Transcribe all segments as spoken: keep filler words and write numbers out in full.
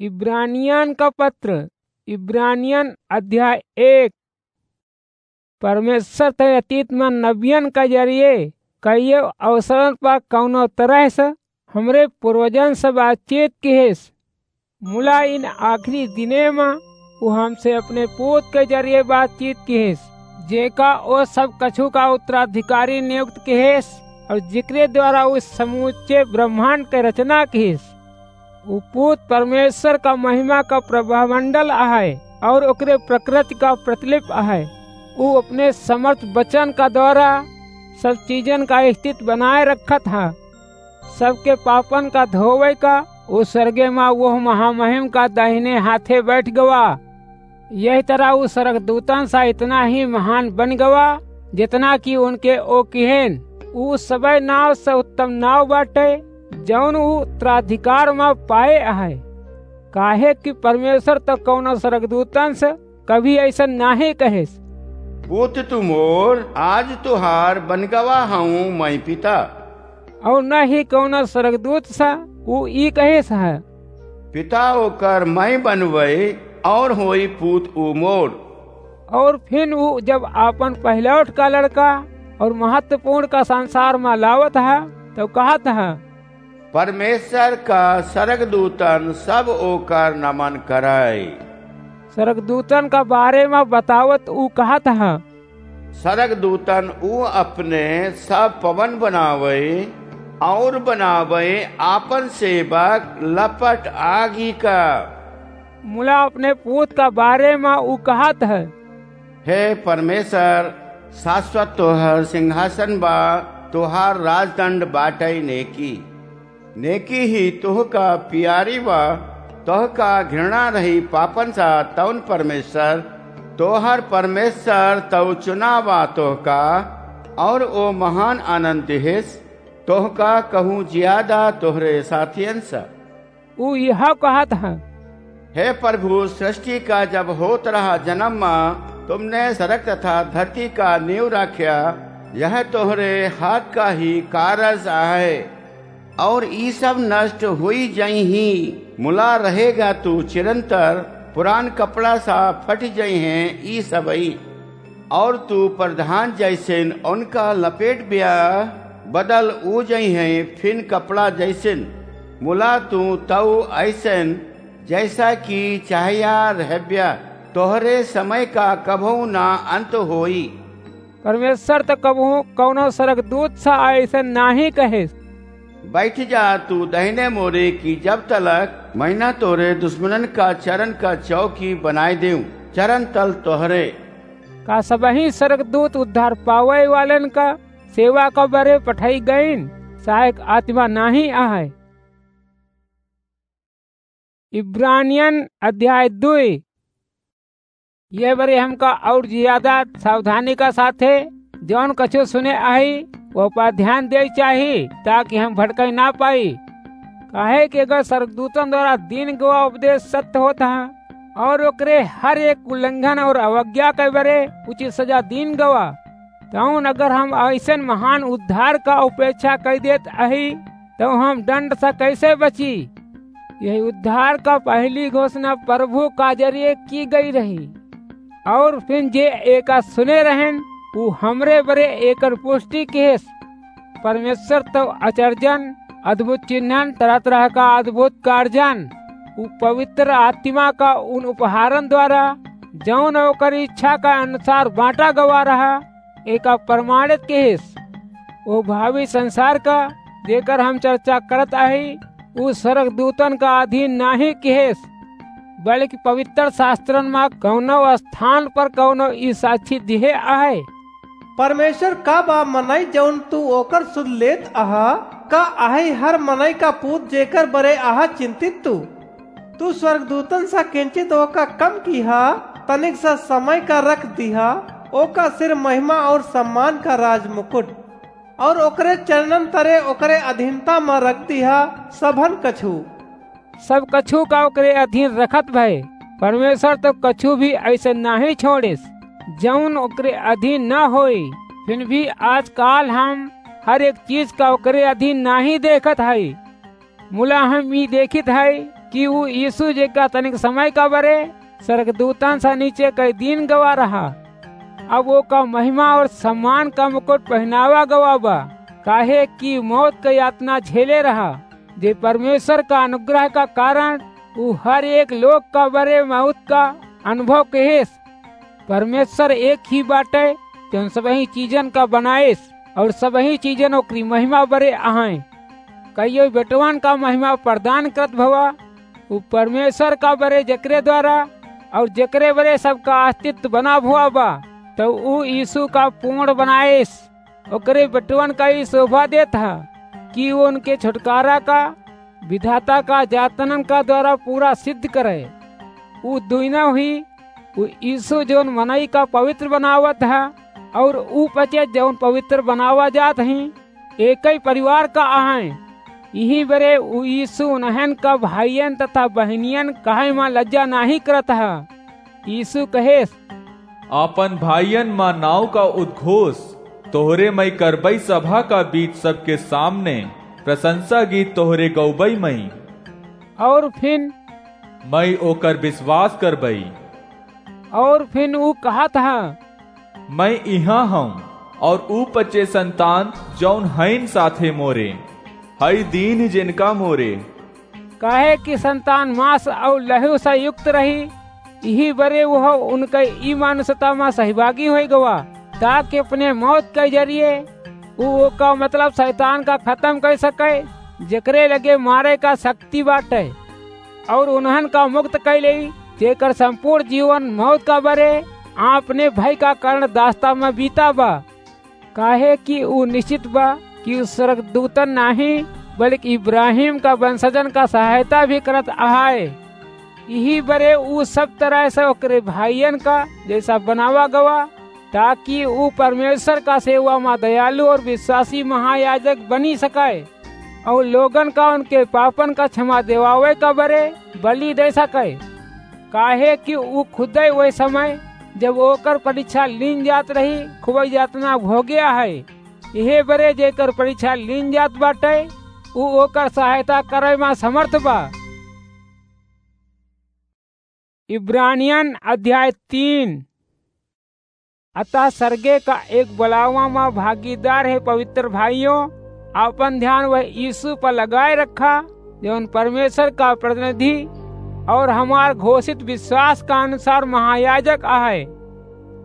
इब्रानियन का पत्र, इब्रानियन अध्याय एक। परमेश्वर तय अतीत में नबियन का जरिए कइयो अवसरन पर कउनो तरह से हमरे पूर्वजन से बातचीत किहिस। मुला इन आखिरी दिने में वो हमसे अपने पूत के जरिए बातचीत किहिस, जेका वो सब कछु का उत्तराधिकारी नियुक्त किहिस और जिकरे द्वारा उस समूचे ब्रह्मांड के रचना किहिस। उ पूत परमेश्वर का महिमा का प्रभामंडल आहे और ओकरे प्रकृति का प्रतिलिप आहे। उ अपने समर्थ वचन का द्वारा सब चीजन का स्थिति बनाए रखत हा। सबके पापन का धोवे का उ स्वर्गे मा वो महामहिम का दाहिने हाथे बैठ गवा। यही तरह उ स्वर्गदूतन सा इतना ही महान बन गवा, जितना कि उनके ओ किहेन। उ सबे नाव से उत्तम नाव बाटे, जौन उ उत्तराधिकार मा पाए आहे। काहे कि परमेश्वर तो कौनो स्वर्गदूतन से कभी ऐसा नाहीं कहेस। पूत तू मोर, आज तुहार बन गवा हूँ मैं पिता। और न ही कौनो स्वर्गदूत सा उ ई कहेस है। पिता ओकर मैं बनवई और होई पूत उ मोर। और फिर उ जब आपन पहलौठ का लड़का और महत्वपूर्ण का संसार मा लावत है, तो कहत है, परमेश्वर का स्वर्गदूतन सब ओकर नमन करई। स्वर्गदूतन का बारे मा बतावत उ कहत है, स्वर्गदूतन उ अपने सब पवन बनावई और बनावई आपन सेवक लपट आगी का। मुला अपने पूत का बारे मा उ कहत है, हे परमेश्वर, शाश्वत तोहर सिंहासन बा, तोहार राजदंड बाटई नेकी। नेकी ही तोहका पियारी बा, तोहका घृणा रही पापन सा। तौन परमेश्वर, तोहर परमेश्वर तौ चुना बा तोहका, और ओ महान आनंद दिहिस, तोहका कहूँ ज्यादा तोहरे साथियन सा। उ यह कहत ह, हे प्रभु, सृष्टि का जब होत रहा जन्म मा, तुमने सड़क तथा धरती का नींव राख्या, यह तोहरे हाथ का ही कारज आहे। और ई सब नष्ट होई जइहीं, मुला रहेगा तू चिरंतर, पुरान कपड़ा सा फट जइहें ई सबई। और तू प्रधान जैसेन उनका लपेट ब्या, बदल ऊ जइहें फिन कपड़ा जैसेन। मुला तू तऊ ऐसेन जैसा कि चाहया रहब्या, तोहरे समय का कभऊ ना अंत होई। परमेश्वर त कबहूँ कौनो स्वर्गदूत सा ऐसे नाहीं कहे। बैठ जा तू दहिने मोरे की जब तलक महीना तोरे दुश्मनन का चरण का चौकी बनाए देऊं, चरण तल तोहरे। का सबही स्वर्गदूत उद्धार पावे वालन का सेवा का बरे पठाई गईन, सहायक आत्मा नाहीं आहे। इब्रानियन अध्याय दुई। ये बरे हमका और ज्यादा सावधानी का साथे जौन कछु सुने आही, वो पर ध्यान दे चाही, ताकि हम भटकाई ना पाई। काहे कि अगर स्वर्गदूतन द्वारा दीन गवा उपदेश सत्य होत है और ओकरे हर एक उल्लंघन और अवज्ञा के बरे उचित सजा दीन गवा, तौन अगर हम ऐसन महान उद्धार का उपेक्षा कर देत अही, तो हम दंड से कैसे बची? यही उद्धार का पहली घोषणा प्रभु का जरिए की गई रही। और फिर जे एका सुने रहन, वो हमरे बरे एकर पुष्टि केस। परमेश्वर तो अचर्जन, अद्भुत चिन्हन, तरह तरह का अद्भुत कार्जन, वो पवित्र आत्मा का उन उपहारन द्वारा जौन ओकर इच्छा का अनुसार बांटा गवा रहा, एका प्रमाणित केस। वो भावी संसार का जेकर हम चर्चा करत आही, उ स्वर्गदूतन का अधीन नाहीं केस, बल्कि पवित्र शास्त्रन मा कौनो स्थान पर कौनो ई साक्षी दिहे आहे। परमेश्वर का बा मनई जौन तू ओकर सुध लेत आहा? का आहे हर मनई का पूत जेकर बरे आहा चिंतित तू? तू स्वर्गदूतन सा किंचित ओका कम कीहा, तनिक सा समय का रख दीहा, ओका सिर महिमा और सम्मान का राजमुकुट, और ओकरे चरणन तरे ओकरे अधीनता मा रख दीहा सबहन कछु। सब कछु का ओकरे अधीन रखत भए। परमेश्वर तो कछु भी ऐसे नाहीं छोड़िस, जौन ओकरे अधीन न होई। फिर भी आजकाल हम हर एक चीज का ओकरे अधीन नाहीं देखत हई। मुला हम ई देखित हई कि ऊ यीशु जेका तनिक समय का बरे स्वर्गदूतन से नीचे कई दिन गवा रहा, अब ओका महिमा और सम्मान का मुकुट पहिनावा गवा बा, काहे कि मौत का यातना झेले रहा, जे परमेश्वर का अनुग्रह का कारण ऊ हर एक लोग का बरे मौत का अनुभव कहेस। परमेश्वर एक ही बाटे, जौन सबही चीजन का बनाएस और सबही चीजन ओकरी महिमा बरे अहैं। कइयो बेटवन का महिमा प्रदान करत भवा, ऊ परमेश्वर का बरे जेकरे द्वारा और जेकरे बरे सबका अस्तित्व बना भवा बा, तो ऊ यीशु का पूर्ण बनाएस। ओकरे बेटवन का ई शोभा देत ह कि ऊ उनके छुटकारा का विधाता का जातनन का द्वारा पूरा सिद्ध करे। ऊ दुइना हुई, ऊ यीशु जौन मनई का पवित्र बनावत ह और ऊ पचे जौन पवित्र बनावा जात ही, एकई परिवार का अहैं। यही बरे ऊ यीशु उन्हन का भाइयन तथा बहिनियन कहे मा लज्जा नाहीं करत ह। यीशु कहेस, आपन भाइयन मा नाव का उद्घोष तोहरे मई करबई सभा का बीच सबके सामने प्रशंसा गीत तोहरे गौबई मई। और फिन मई ओकर विश्वास करबई। और फिन ऊ कहत ह, मई इहाँ हूँ और ऊ पचे संतान जौन हईन साथे मोरे, हई दीन जिनका मोरे। काहे कि संतान मांस और लहू से युक्त रही, यही बरे वह उनके ई मानुषता मा सहभागी होई गवा, ताकि अपने मौत के जरिए ऊ ओका मतलब शैतान का खत्म कर सके, जेकरे लगे मारे का शक्ति बाटे, और उन्हन का मुक्त कर लेई, जेकर संपूर्ण जीवन मौत का बरे आपने भय का कारण दास्ता मा बीता बा। काहे कि ऊ निश्चित बा कि ऊ स्वर्गदूतन नाहीं, बल्कि इब्राहिम का वंशजन का सहायता भी करत अहाय। यही बरे ऊ सब तरह से ओकरे भाइयन का जैसा बनावा गवा, ताकि ऊ परमेश्वर का सेवा मा दयालु और विश्वासी महायाजक बनी सके और लोगन का उनके पापन का क्षमा देवावे का बरे बलि दे सके। काहे कि ऊ खुदे वही समय, जब ओकर परीक्षा लीन जात रही, खूब यातना भोगे अहै। इहे बरे जेकर परीक्षा लीन जात बाटे, ऊ ओकर सहायता करे मा समर्थ बा। इब्रानियन अध्याय तीन। अतः सरगे का एक बुलावा मा भागीदार हे पवित्र भाइयों, आपन ध्यान वह यीशु पर लगाए रखा, जौन परमेश्वर का प्रतिनिधि और हमार घोषित विश्वास का अनुसार महायाजक अहै।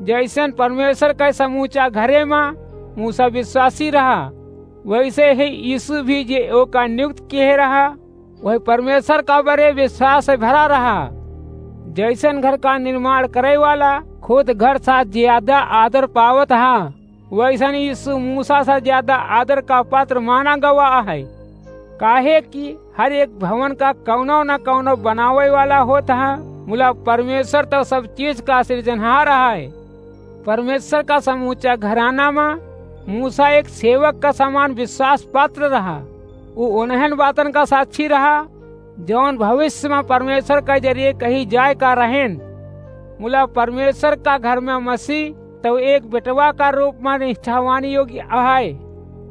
जैसन परमेश्वर के समूचा घरे मा मूसा विश्वासी रहा, वैसे ही यीशु भी जे ओका नियुक्त किहे रहा, वही परमेश्वर का बरे विश्वास से भरा रहा। जैसन घर का निर्माण करे वाला खुद घर सा ज्यादा आदर पावत हा, वैसन यीशु मूसा सा ज्यादा आदर का पात्र माना गवा है। काहे कि हर एक भवन का कौनो न कौनो बनावे वाला होत हा, मुला परमेश्वर तो सब चीज का सृजनहार है। परमेश्वर का समूचा घराना मा मूसा एक सेवक का समान विश्वास पात्र रहा। ऊ उन्हन बातन का साक्षी रहा, जौन भविष्य मा परमेश्वर का जरिए कही जाए का रहेन। मुला परमेश्वर का घर मा मसीह तो एक बेटवा का रूप मा निष्ठावान योग्य अहै।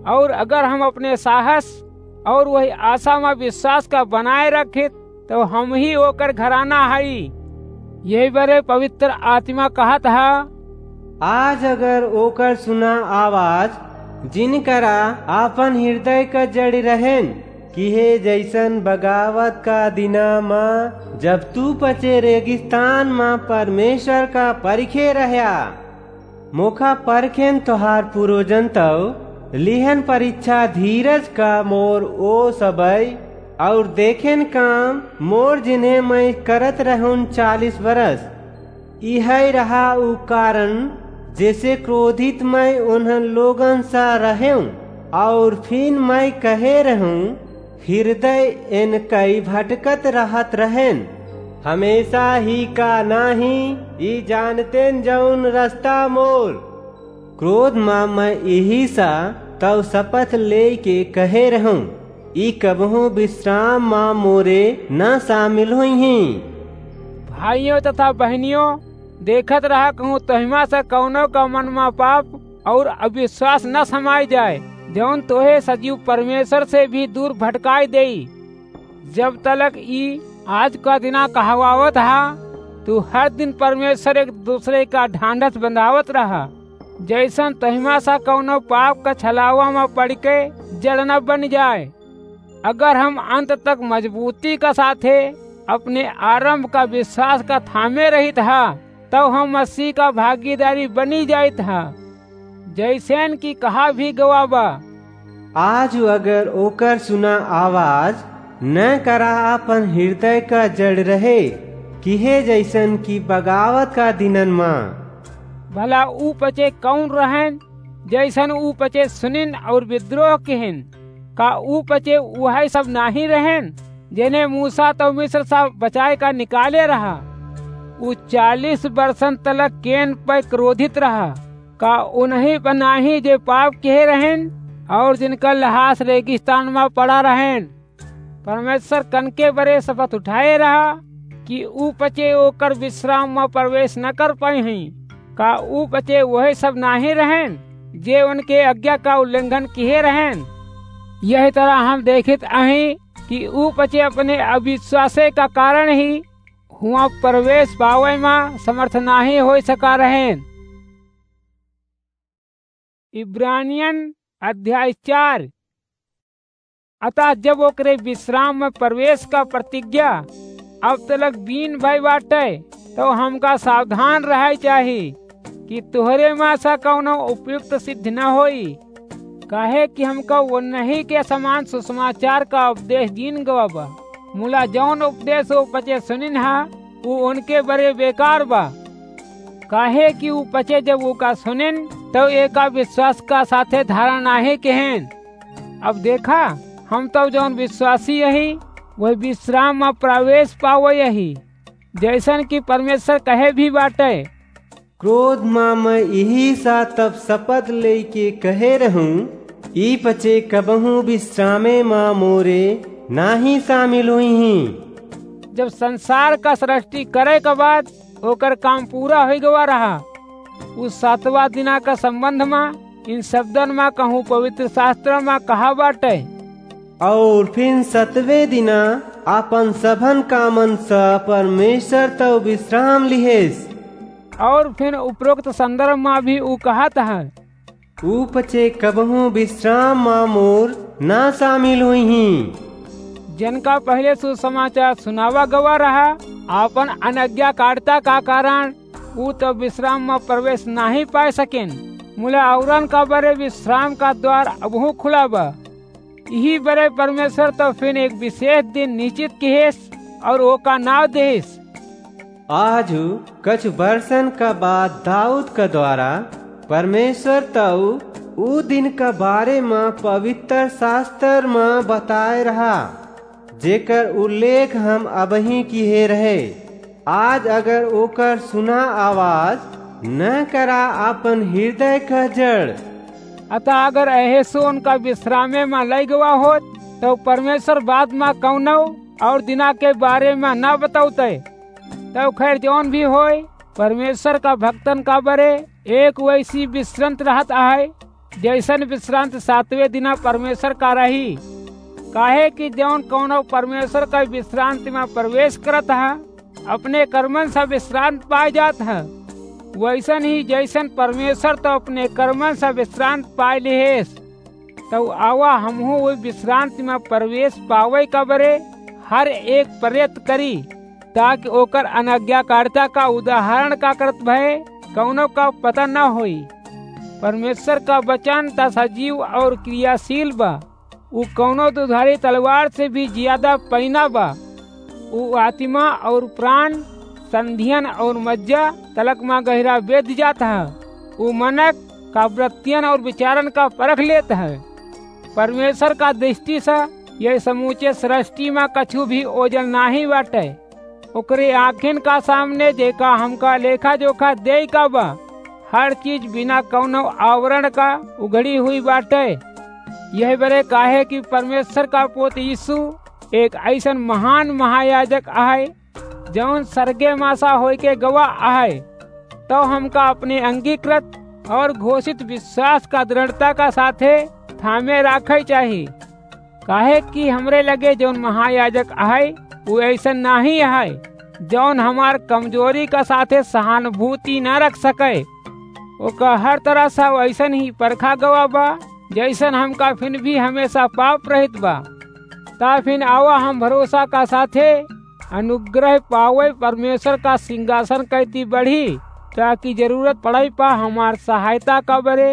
और अगर हम अपने साहस और वही आशा मा विश्वास का बनाए रखित, तो हम ही ओकर घराना हई। यही बरे पवित्र आत्मा कहत हा, आज अगर ओकर सुना आवाज, जिनकरा आपन हृदय क जड़ रहेन, किहे जैसन बगावत का दिना म, जब तू पचे रेगिस्तान म परमेश्वर का परिखे रह्या, मोखा परखेन तोहार पूर्वजन तौ, लिहन परीक्षा धीरज का मोर ओ सबै, और देखेन काम मोर जिन्हें मैं करत रहूं चालीस बरस। इहै रहा उ कारण, जैसे क्रोधित मैं उन्हन लोगन सा रहें, और फिन मैं कहे रहूं, हृदय एनकई भटकत रहत रहेन, हमेशा ही का नाही, ई जानतेन जौन रस्ता मोर। क्रोध मा मैं इही सा तौ शपथ लेके कहे रहूं, ई कबहूं विश्राम मा मोरे न शामिल होइहीं। भाइयों तथा बहनियों, देखत रहा कहूं तोहिमा से कौनो का मन मा पाप और अविश्वास न समाई जाए, जौन तोहे सजीव परमेश्वर से भी दूर भटकाई देई। जब तलक ई आज का दिना कहवावत हा, तू हर दिन परमेश्वर एक दूसरे का ढांढस बंधावत रहा, जैसन तहिमा सा कौनो पाप का छलावा में पड़ के जड़ न बन जाए। अगर हम अंत तक मजबूती का साथे अपने आरंभ का विश्वास का थामे रहित हा, तब हम मसीह का भागीदारी बनी जाइत हा। जैसन कि कहा भी गवा बा, आज अगर ओकर सुना आवाज न करा, अपन हृदय का जड़ रहे, किहे जैसन कि बगावत का दिनन मा। भला ऊ पचे कौन रहन, जैसन ऊ पचे सुनिन और विद्रोह किहिन? का ऊ पचे उहै सब नाही रहन, जेने मूसा तो मिस्र सा बचाए का निकाले रहा? ऊ चालीस बरसन तलक केन पर क्रोधित रहा। का उन्हीं पर नाही जे पाप किहे रहन और जिनका लहास रेगिस्तान मा पड़ा रहन? परमेश्वर कनके बरे शपथ उठाए रहा कि ऊ पचे ओकर विश्राम मा प्रवेश न कर पाइहीं। का ऊ पचे वही सब नाही रहन, जे उनके आज्ञा का उल्लंघन किहे रहन? यही तरह हम देखित अहीं कि ऊ पचे अपने अविश्वासे का कारण ही हुआ प्रवेश पावे मा समर्थ नाही होई सका रहन। इब्रानियन अध्याय चार। अतः जब ओकरे विश्राम में प्रवेश का प्रतिज्ञा अब तलक बीन भई बाटे, तो हमका सावधान रहै चाही कि तोहरे मा सा कौनो उपयुक्त सिद्ध न होई। काहे कि हमका उन्हीं के समान सुसमाचार का उपदेश दीन गवा बा। मुला जौन उपदेश वो पचे सुनिन हा, ऊ उनके बरे बेकार बा। काहे कि ऊ पचे जब ओका सुनिन, तब एका विश्वास का साथे धारण नाहीं किहिन। अब देखा, हम तब जौन विश्वासी अही, वही विश्राम मा प्रवेश पावै अही, जैसन कि परमेश्वर कहे भी बाटे। क्रोध मा मैं इही सा तब शपथ लेके कहे रहूं, ई पचे कबहूं विश्रामे मा मोरे नाही शामिल हुइहीं। जब संसार का सृष्टि करे के बाद ओकर काम पूरा होइ गवा रहा, उस सातवां दिना का संबंध मा इन शब्दन मा कहूं पवित्र शास्त्र मा कहा बाटे। और फिर सतवें दिना आपन सभन कामन सा परमेश्वर तौ विश्राम लिहेस। और फिर उपरोक्त संदर्भ मा भी ऊ कहत है, ऊ पचे कबहूं विश्राम मा मोर ना शामिल हुइहीं। जिनका पहले सुसमाचार सुनावा गवा रहा, आपन अनज्ञाकारिता का कारण ऊ तो विश्राम मा प्रवेश नाही पाए सकेन, मुला औरन का बरे विश्राम का द्वार अबहूं खुला बा। इही बरे परमेश्वर तो फिर एक विशेष दिन निश्चित किहेस और ओका नाव देहेस। आजु कछु बरसन का बाद दाऊद का द्वारा परमेश्वर तौ ऊ दिन का बारे मा पवित्र शास्त्र मा बताए रहा, जेकर उल्लेख हम अबहीं किहे रहे। आज अगर ओकर सुना आवाज न करा आपन हृदय का जड़। अतः अगर एहेसु उनका विश्रामे मा लई गवा होत, तो परमेश्वर बाद मा कौनो और दिना के बारे मा न बतौते। तब खैर जौन भी होय, परमेश्वर का भक्तन का बरे एक वैसी विश्रांत रहत आहे, जैसन विश्रांत सातवें दिना परमेश्वर का रही। काहे कि जौन कौनो परमेश्वर का विश्रांति मा प्रवेश करत है, अपने कर्मन से विश्रांत पाए जात है, वैसन ही जैसन परमेश्वर तो अपने कर्मन से विश्रांत पाए लिहेस, तो आवा हमहू वही विश्रांति मा प्रवेश पावे का बरे हर एक प्रयत्न करी, ताकि ओकर अनज्ञाकारिता का उदाहरण का करत भय कौनो का पता न होई। परमेश्वर का वचन त सजीव और क्रियाशील बा, ऊ कौनो दुधारी तलवार से भी ज्यादा पैना बा। ऊ आत्मा और प्राण, संधियन और मज्जा तलक मा गहिरा वेद जात है। ऊ मनक का वृत्तियन और विचारन का परख लेत है। परमेश्वर का दृष्टि से यह समूचे सृष्टि मा कछु भी ओजल नाही बाटे। ओकरे आँखिन का सामने जेका हमका लेखा जोखा देई का बा, हर चीज बिना कौनो आवरण का उघड़ी हुई बाटे। यह बरे काहे कि परमेश्वर का पोत यीशु एक ऐसन महान महायाजक आहे, जौन सरगे मा सा होइके गवा आहे, तो हमका अपने अंगीकृत और घोषित विश्वास का दृढ़ता का साथे थामे राखे चाही। काहे कि हमरे लगे जौन महायाजक आहे, उ ऐसन नाहीं है, जौन हमार कमजोरी का साथे सहानुभूति न रख सके। ओका हर तरह से वैसन ही परखा गवा बा, जैसन हमका फिन भी हमेशा पाप रहित बा। ता फिन आवा हम भरोसा का साथे अनुग्रह पावे परमेश्वर का सिंहासन कैती बढ़ी, ताकि जरूरत पड़ाई पा हमार सहायता का बरे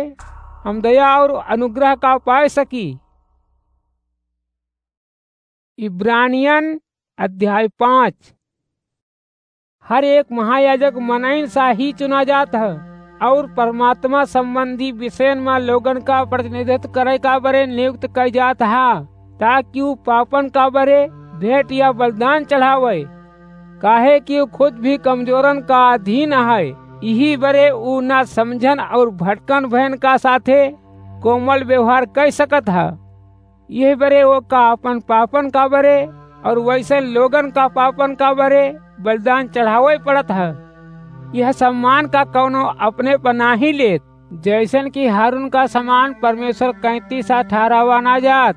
हम दया और अनुग्रह का पाए सकी। इब्रानियन अध्याय पाँच। हर एक महायाजक मनइन सा ही चुना जात ह और परमात्मा संबंधी विषयन मा लोगन का प्रतिनिधित्व करे का बरे नियुक्त कइ जात ह, ताकि उ पापन का बरे भेंट या बलिदान चढ़ावे, काहे कि उ खुद भी कमजोरन का अधीन है। यही बरे उ ना समझन और भटकन भयन का साथे कोमल व्यवहार कइ सकत ह। यही बरे ओका अपन पापन का बरे और वैसे लोगन का पापन का बरे बलिदान चढ़ावे पड़त ह। यह सम्मान का कौनो अपने पर नाही लेत, जैसन कि हारून का समान परमेश्वर कैंती सा ठहरावा ना जात।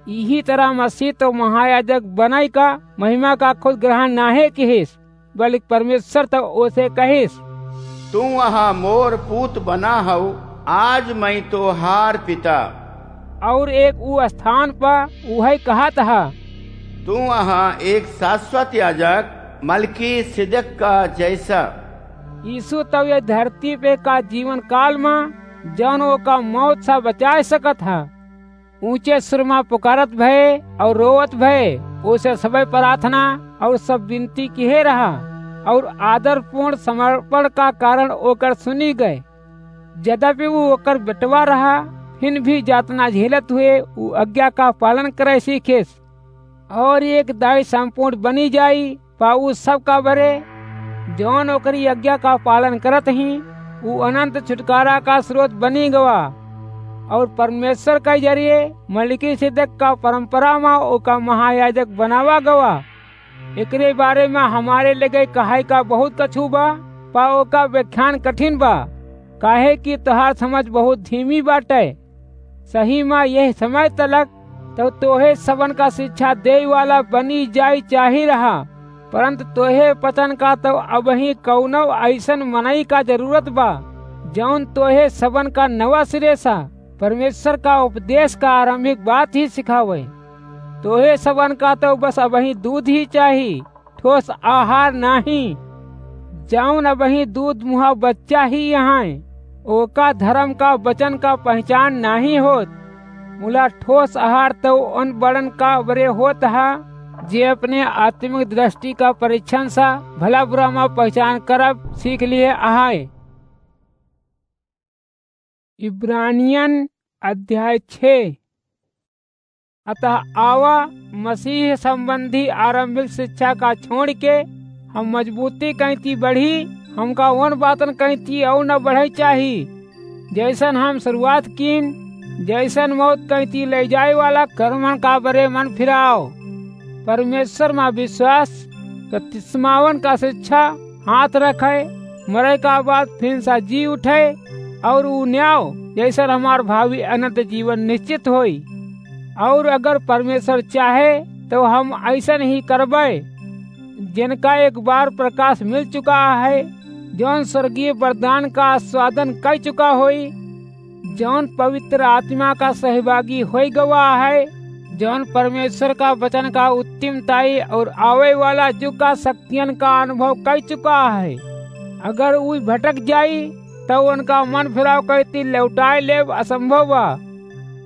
यही तरह मसीह तो महायाजक बनाई का महिमा का खुद ग्रहण नाहे किहिस, बल्कि परमेश्वर तो ओसे कहिस, "तू वहाँ मोर पूत बना हऊ, आज मैं तोहार पिता।" और एक ऊ स्थान पर उहै कहत ह, "तू वहाँ एक शाश्वत याजक, मलकीसिदक का जैसा।" यीशु तब ये धरती पे का जीवन काल में जौन ओका मौत से बचाए सकत ह, ऊंचे सुर में पुकारत भए और रोवत भए, ओसे सबे प्रार्थना और सब विनती किहे रहा और आदरपूर्ण समर्पण का कारण ओकर सुनी गए। यद्यपि वो ओकर बेटवा रहा, फिर भी यातना झेलत हुए वो आज्ञा का पालन करे सीखेस। और एक दाई संपूर्ण बनी जाई, पा उ सब का बरे, जौन ओकरी आज्ञा का पालन करत ही, उ अनंत छुटकारा का स्रोत बनी गवा। और परमेश्वर का जरिए मलिकिसिदक का परंपरा में ओका महायाजक बनावा गवा। एकरे बारे में हमारे लगे कहाई का बहुत कछु बा, पा ओका व्याख्यान कठिन बा, काहे कि तोहार समझ बहुत धीमी बाटे। सही में यह समय तलक तो तोहे सबन का शिक्षा देइ वाला बनी जाई चाही रहा, परंतु तोहे पतन का तो अबही कौनो ऐसन मनई का जरूरत बा, जौन तोहे सबन का नवा सिरे सा परमेश्वर का उपदेश का आरंभिक बात ही सिखावे। तोहे सबन का तो बस अबही दूध ही चाही, ठोस आहार नाही। जौन अबही दूध मुहा बच्चा ही यहाँ, ओका धर्म का वचन का पहचान नाही होत। मुला ठोस आहार तो उन बड़न का बरे होत ह, जे अपने आत्मिक दृष्टि का परीक्षण सा भला बुरा मा पहचान करब सीख लिए आहाय। इब्रानियन अध्याय छः। अतः आवा, मसीह संबंधी आरंभिक शिक्षा का छोड़ के हम मजबूती कैंती बढ़ी, हमका उन बातन कैंती और न बढ़े चाही, जैसन हम शुरुआत कीन, जैसन मौत कैंती ले जाए वाला कर्मन का बरे मन फिराव। परमेश्वर मा विश्वास, बपतिस्मावन का शिक्षा, हाथ रखे, मरे का बाद फिर सा जी उठे, और ऊ न्याव, जैसन हमार भावी अनंत जीवन निश्चित होई। और अगर परमेश्वर चाहे, तो हम ऐसन ही करबे, जिनका एक बार प्रकाश मिल चुका है, जौन स्वर्गीय वरदान का आस्वादन कर चुका होई, जौन पवित्र आत्मा का सहभागी होई गवा है, जौन परमेश्वर का वचन का उत्तमताई और आवे वाला युग का शक्तियन का अनुभव कर चुका है। अगर ऊ भटक जाई, तो उनका मन फिराव कैती लौटाए लेब असंभव बा।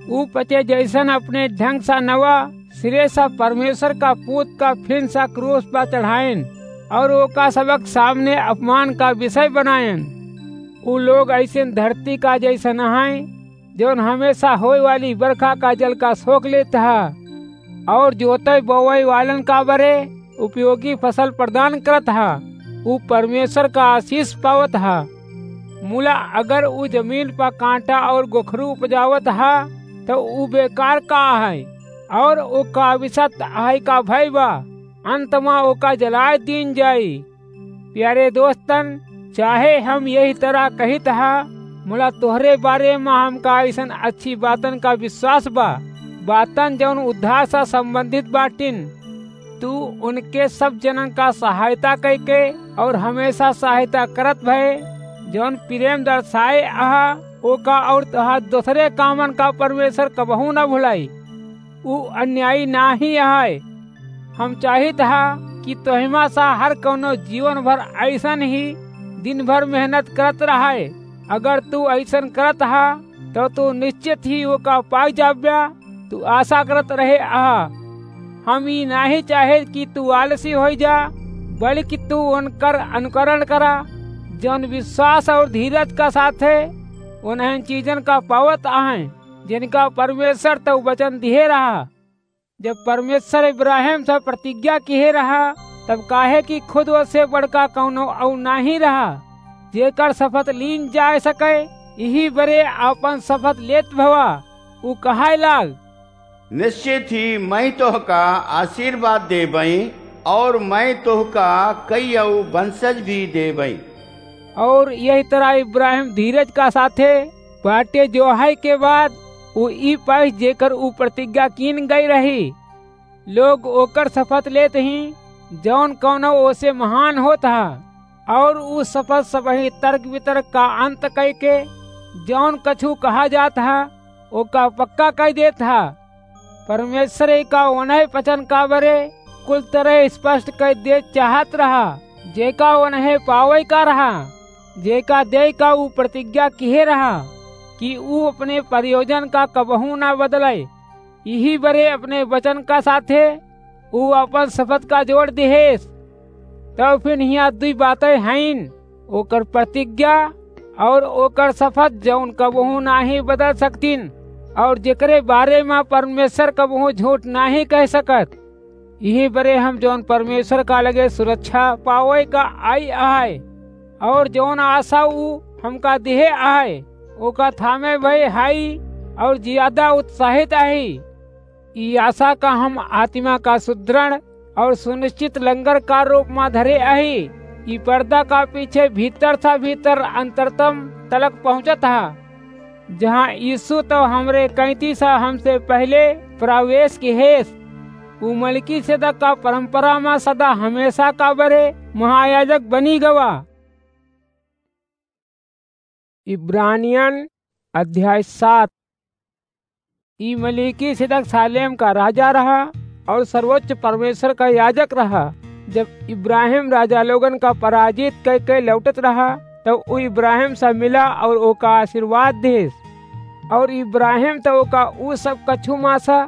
ऊ पचे जैसन अपने ढंग सा नवा सिरे सा परमेश्वर का पूत का फिन सा क्रूस पर चढ़ायन और ओका सबक सामने अपमान का विषय बनायन। ऊ लोग ऐसे धरती का जैसन हैं, जौन हमेशा होए वाली बरखा का जल का सोख लेत ह, और जोते बोवै वालन का बरे उपयोगी फसल प्रदान करत ह। ऊ परमेश्वर का आशीष पावत ह। मुला अगर ऊ जमीन पर कांटा और गोखरू उपजावत ह, तो ऊ बेकार का है, और ओका विषत आय का भय बा, अंत मा ओका जलाए दीन जाई। प्यारे दोस्तन, चाहे हम यही तरह कहित ह, मुला तोहरे बारे मा हमका ऐसन अच्छी बातन का विश्वास बा, बातन जौन उद्धार सा संबंधित बाटिन। तू उनके सब जनन का सहायता कइके और हमेशा सहायता करत भए, जौन प्रेम दर्शाए अहा, ओका और तोहार दूसरे कामन का परमेश्वर कबहू न भुलाई। ऊ अन्यायी नाही अहइ। हम चाहित हा कि तोहिमा सा हर कौनो जीवन भर अइसन ही दिन भर मेहनत करत रहइ। अगर तू अइसन करत हा, तो तू निश्चित ही ओका पाइ जाब्या, तू आशा करत रहे अहा। हम ई नाही चाहे कि तू आलसी होइ जा, बल्कि तू उनकर अनुकरण करा, जौन विश्वास और धीरज का साथे उन्हन चीजन का पावत अहइँ, जिनका परमेश्वर तउ वचन दिहे रहा। जब परमेश्वर इब्राहिम से प्रतिज्ञा किहे रहा, तब काहे कि खुद ओसे बड़का कौनो अउ नाही रहा, जेकर शपथ लीन जाए सके, इही बरे आपन शपथ लेत भवा। ऊ कहइ लाग, निश्चित ही मइँ तोहका आशीर्वाद देबइ, और मइँ तोहका कइयउ वंशज भी देबइ। और यही तरह इब्राहिम धीरज का साथे बाटे जोहइ के बाद ऊ ई पाइस जेकर ऊ प्रतिज्ञा कीन गइ रही। लोग ओकर शपथ लेत ही, जौन कौनो ओसे महान होत हा, और ऊ शपथ सबही तर्क वितर्क का अंत कइके जौन कछु कहा जात हा, ओका पक्का कइ देत हा। परमेश्वर एका ओनहे वचन का बरे कुल तरह स्पष्ट कइ दे चाहत रहा, जेका ओनहे पावइ का रहा, जेका देइ का ऊ प्रतिज्ञा किहे रहा कि ऊ अपने प्रयोजन का कबहू ना बदलइ। इही बरे अपने वचन का साथे ऊ अपन शपथ का जोड़ दिहेस। तब फिर हियाँ दुइ बातइ हइन, ओकर प्रतिज्ञा और ओकर शपथ, जौन कबहू नाही बदल सकतिन, और जेकरे बारे मा परमेश्वर कबहू झूठ नाही कह सकत। इही बरे हम जौन परमेश्वर का लगे सुरक्षा पावइ का आइ अहइ, और जौन आशा ऊ हमका दिहे अहइ, ओका थामे भए हई, और ज्यादा उत्साहित अही। ई आशा का हम आत्मा का सुदृढ़ और सुनिश्चित लंगर का रूप मा धरे अही। ई पर्दा का पीछे भीतर सा भीतर अंतरतम तलक पहुँचत हा, जहाँ यीशु तउ हमरे कैंती सा हमसे पहिले प्रवेश किहेस। ऊ मलिकिसेदक का परंपरा मा सदा हमेशा का बरे महायाजक बनी गवा। इब्रानियन अध्याय सात। ई मलिकिसेदक सालेम का राजा रहा और सर्वोच्च परमेश्वर का याजक रहा। जब इब्राहिम राजा लोगन का पराजित कइके लौटत रहा, तब ऊ इब्राहिम से मिला और ओका आशीर्वाद देस। और इब्राहिम त ओका ऊ सब कछु मा सा,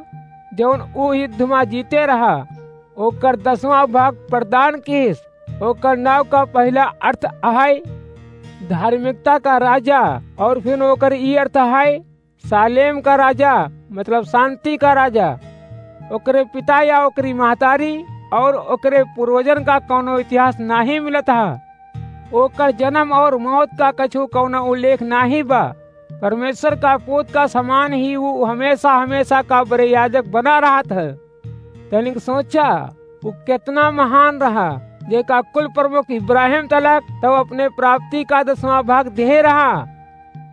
जौन ऊ युद्ध मा जीते रहा, ओकर दसवाँ भाग प्रदान किहिस। ओकर नाव का पहिला अर्थ अहइ धार्मिकता का राजा, और फिर ओकर ई अर्थ अहइ सालेम का राजा, मतलब शांति का राजा। ओकरे पिता या ओकरी महतारी और ओकरे पूर्वजन का कौनो इतिहास नाही मिलत हा। ओकर जन्म और मौत का कछु कौनो उल्लेख नाही बा। परमेश्वर का पूत का समान ही ऊ हमेशा, हमेशा का बरे याजक बना रहत है। तनिक सोचा, ऊ केतना महान रहा, जेका कुल प्रमुख इब्राहिम तलक तउ अपने प्राप्ति का दसवाँ भाग देहे रहा।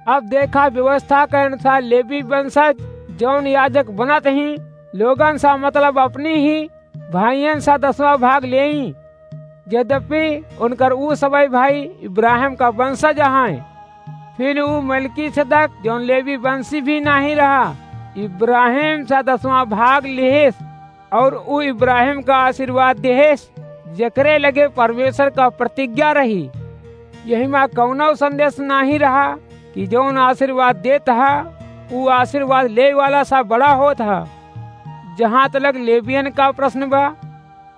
अब देखा, व्यवस्था के अनुसार लेवी वंशज जौन याजक बनत ही, लोगन सा मतलब अपनी ही भाइयन सा दसवाँ भाग लेई, यद्यपि उनकर ऊ सबइ भाई इब्राहिम का वंशज अहइँ। फिर ऊ मलिकिसेदक, जौन लेवी वंशी भी नाही रहा, इब्राहिम सा दसवाँ भाग लिहिस, और ऊ इब्राहिम का आशीर्वाद देहिस, जेकरे लगे परमेश्वर का प्रतिज्ञा रही। यही मा कौनो संदेश नाही रहा कि जौन आशीर्वाद देत हा, ऊ आशीर्वाद लेइ वाला सा बड़ा होत हा। जहाँ तलक लेवियन का प्रश्न बा,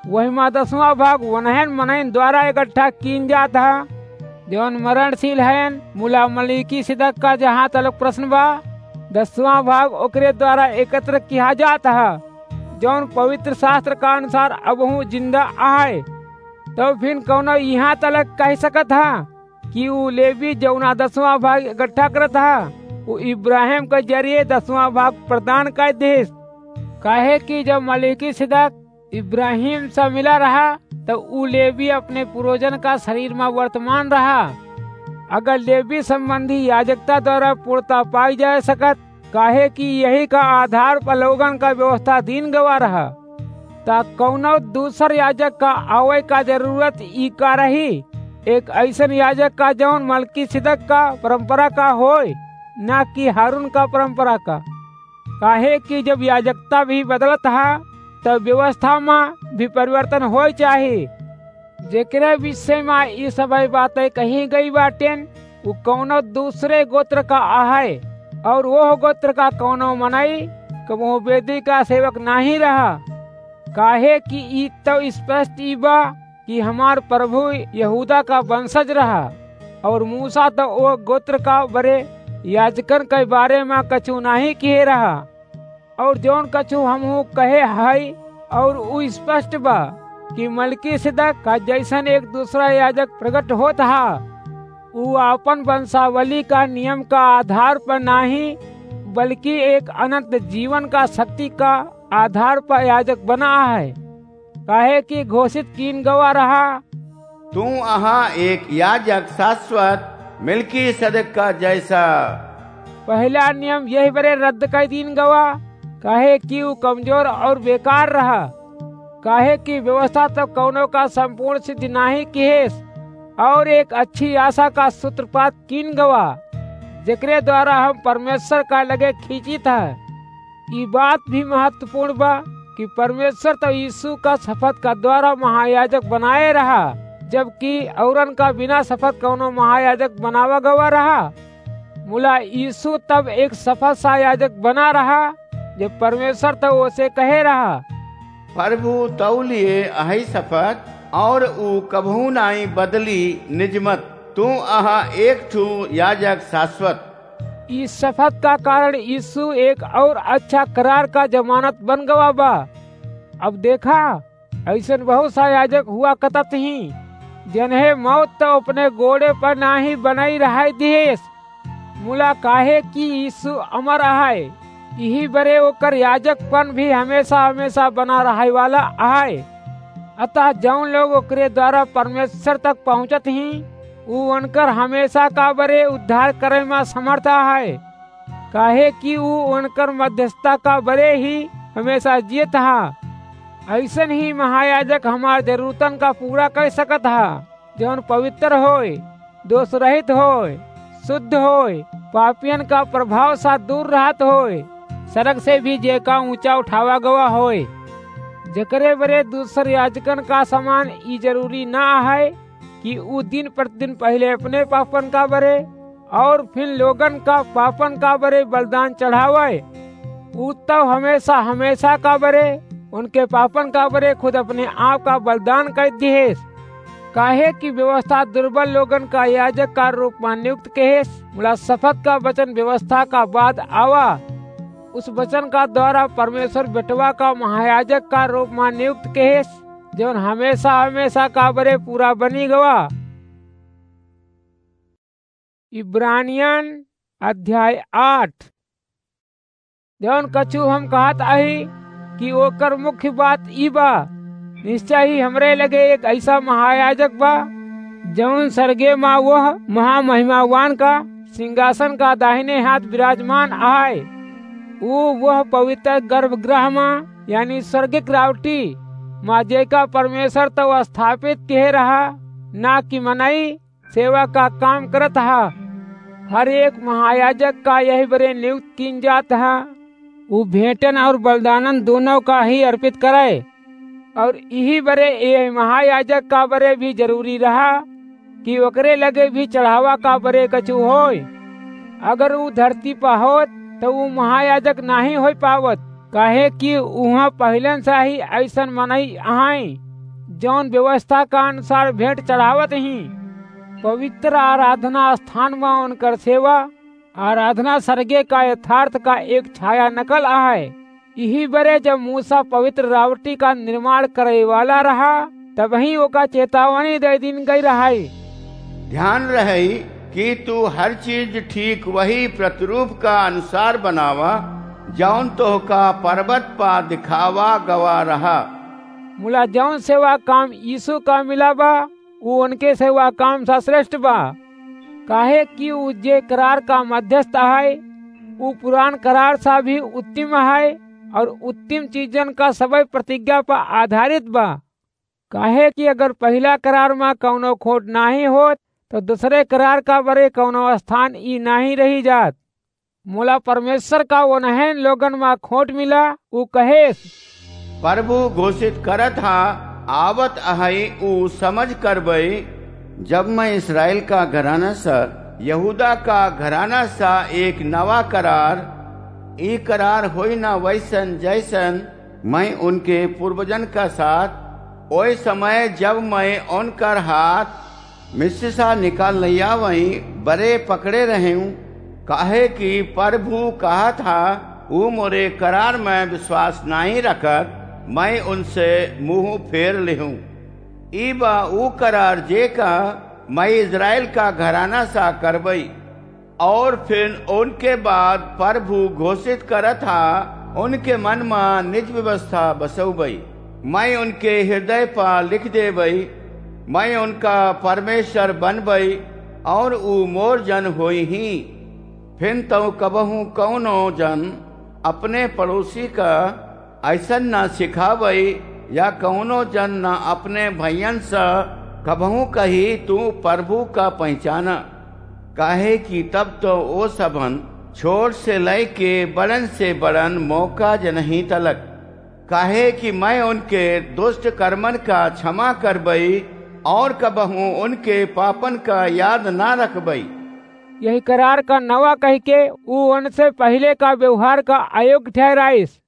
वही मा दसवाँ भाग वनहन मनइन द्वारा इकट्ठा कीन जात हा, जौन मरणशील हयन। मुला मलिकिसेदक का जहाँ तलक प्रश्न बा, दसवाँ भाग ओकरे द्वारा एकत्र किहा जात हा, जौन पवित्र शास्त्र का अनुसार अबहूँ जिंदा अहइ। तब फिर कौनो इहाँ तलक कहि सकत हा कि ऊ लेवी जौना दसवाँ भाग इकट्ठा करत हा, ऊ इब्राहिम के जरिए दसवाँ भाग प्रदान कइ देहिस? काहे कि जब मलिकिसेदक इब्राहिम से मिला रहा, तब ऊ लेवी अपने पूर्वजन का शरीर मा वर्तमान रहा। अगर लेवी संबंधी याजकता द्वारा पूर्णता पाई जा सकत, काहे कि यही का आधार पर लोगन का व्यवस्था दीन गवा रहा। त कउनो दूसर याजक का आवै का जरूरत ई का रही? एक अइसन याजक का जउन मलकीसिदक का परंपरा का होय, ना कि हारून का परंपरा का। काहे कि जब याजकता भी बदलत ह, तब व्यवस्था मा भी परिवर्तन होय चाही। जेकरे विषय मा ई सबै बातै कही गई बाटेन, उ कउनो दूसरे गोत्र का अहै, और ओह गोत्र का कउनो मनई कबहूँ वेदी का सेवक नाहीं रहा। काहे कि ई तउ स्पष्ट ई बा कि हमार प्रभु यहूदा का वंशज रहा, और मूसा तउ ओ गोत्र का बरे याजकन के बारे मा कछु नाहीं किहे रहा। और जउन कछु हमहूँ कहे हई, और उ स्पष्ट बा कि मलकीसिदक का जइसन एक दूसरा याजक प्रगट होत हा, उ आपन वंशावली का नियम का आधार पर नाहीं, बल्कि एक अनंत जीवन का शक्ति का आधार पर याजक बना है। काहे कि घोषित कीन गवा रहा, "तू अहा एक याजक शाश्वत, मलकीसिदक का जइसा।" पहिला नियम यही बरे रद्द कइ दीन गवा, काहे कि उ कमजोर और बेकार रहा। काहे कि व्यवस्था तउ कउनो का संपूर्ण सिद्ध नाहीं किहेस, और एक अच्छी आशा का सूत्रपात कीन गवा, जेकरे द्वारा हम परमेश्वर का लगे खींचित ह। ई बात भी महत्वपूर्ण बा कि परमेश्वर तउ यीशु का शपथ का द्वारा महायाजक बनाए रहा, जबकि औरन का बिना शपथ कउनो महायाजक बनावा गवा रहा। मुला यीशु तब एक सफल सा याजक बना रहा, जब परमेश्वर तउ ओसे कहे रहा, "प्रभु तउ लिए अहइ सफत, और ऊ कबहूँ नाहीं बदली निजमत। तू अहा एक ठू याजक शाश्वत।" ई सफत का कारण यीशु एक और अच्छा करार का जमानत बन गवा बा। अब देखा, अइसन बहुत सा याजक हुआ कतत ही, जिन्हें मौत तउ अपने गोड़े पर नाहीं बनाई रहाई दिहेस, मुला काहे कि यीशु अमर अहइ, इही बरे ओकर याजकपन भी हमेशा हमेशा बना रहइ वाला अहइ। अतः जउन लोग ओकरे द्वारा परमेश्वर तक पहुँचत ही, ऊ उनकर हमेशा का बरे उद्धार करइ मा समर्थ अहइ, काहे कि ऊ उनकर मध्यस्थता का बरे ही हमेशा जियत हा। अइसन ही महायाजक हमार जरूरतन का पूरा कइ सकत हा, जउन पवित्र होय, दोष रहित होय, शुद्ध होय, पापियन का प्रभाव सा दूर रहत होय, सरग से भी जेका ऊँचा उठावा गवा होय। जेकरे बरे दूसर याजकन का समान ई जरूरी ना अहइ कि ऊ दिन प्रतिदिन पहिले अपने पापन का बरे और फिर लोगन का पापन का बरे बलिदान चढ़ावइ। ऊ तउ हमेशा हमेशा का बरे उनके पापन का बरे खुद अपने आप का बलिदान कइ दिहेस। काहे कि व्यवस्था दुर्बल लोगन का याजक का रूप मा नियुक्त किहेस, मुला सफत का वचन व्यवस्था का बाद आवा। उस वचन का द्वारा परमेश्वर बेटवा का महायाजक का रूप मा नियुक्त किहेस, जउन हमेशा हमेशा का बरे पूरा बनी गवा। इब्रानियन अध्याय आठ। जउन कछु हम कहत अही कि ओकर मुख्य बात ई बा, निश्चय ही हमरे लगे एक अइसा महायाजक बा, जउन सरगे मा वह महामहिमावान का सिंहासन का दाहिने हाथ विराजमान अहइ। ऊ वह पवित्र गर्भगृह मा, यानी स्वर्गिक रावटी मा, जेका परमेश्वर तउ स्थापित किहे रहा, ना कि मनई, सेवा का काम करत हा। हर एक महायाजक का यही बरे नियुक्त कीन जात हा, ऊ भेंटन और बलिदानन दोनों का ही अर्पित करइ। और इही बरे यह महायाजक का बरे भी जरूरी रहा कि ओकरे लगे भी चढ़ावा का बरे कछु होय। अगर ऊ धरती पर होत, तो ऊ महायाजक नाहीं होय पावत, काहे कि उहाँ पहिलन से ही अइसन मनई अहइँ, जउन व्यवस्था का अनुसार भेंट चढ़ावत ही। पवित्र आराधना स्थान मा उनकर सेवा, आराधना सरगे का यथार्थ का एक छाया नकल अहइ। इही बरे जब मूसा पवित्र रावटी का निर्माण करइ वाला रहा, तबहीं ओका चेतावनी दइ दीन गइ रहइ। ध्यान रहइ कि तू हर चीज ठीक वही प्रतिरूप का अनुसार बनावा, जउन तोहका पर्वत पा दिखावा गवा रहा। मुला जउन सेवा काम यीशु का मिला बा, ऊ उनके सेवा काम सा श्रेष्ठ बा, काहे कि ऊ जे करार का मध्यस्थ अहइ, ऊ पुरान करार सा भी उत्तम अहइ, और उत्तम चीजन का सबई प्रतिज्ञा पर आधारित बा। काहे कि अगर पहिला करार मा कउनो खोट नाहीं होत, तो दूसरे करार का बरे कउनो स्थान ई नाहीं रही जात। मुला परमेश्वर का ओनहन लोगन मा खोट मिला, ऊ कहेस, प्रभु घोषित करत हा, आवत अहई ऊ समझ करबई, जब मैं इस्राएल का घराना सा, यहूदा का घराना सा एक नवा करार, ई करार होई ना वैसन जैसन मैं उनके पूर्वजन का साथ, ओए समय जब मैं उनकर हाथ मिस्र सा निकाल लइयावई बरे पकड़े रहें, काहे कि प्रभु कहत हा, ऊ मोरे करार में विश्वास नाहीं रखत, मैं उनसे मुँह फेर लेहूँ। ई बा ऊ करार जेका मैं इस्राएल का घराना सा करबई। और फिर उनके बाद प्रभु घोषित करत हा, उनके मन मा निज व्यवस्था बसउबई। मैं उनके हृदय पा लिख देबई, मैं उनका परमेश्वर बनबई और ऊ मोर जन होई ही। फिर तउ कबहूँ कउनो जन अपने पड़ोसी का ऐसन ना सिखावई या कउनो जन ना अपने भइयन सा कबहूँ कही, "तू प्रभु का पहचाना।" काहे कि तब तो ओ सबन छोट से लइके बड़न से बड़न मौका जनही तलक। काहे कि मैं उनके दुष्ट कर्मन का क्षमा करबई और कबहूँ उनके पापन का याद ना रखबई। यही करार का नवा कहिके ऊ उनसे पहिले का व्यवहार का अयोग्य ठहराइस,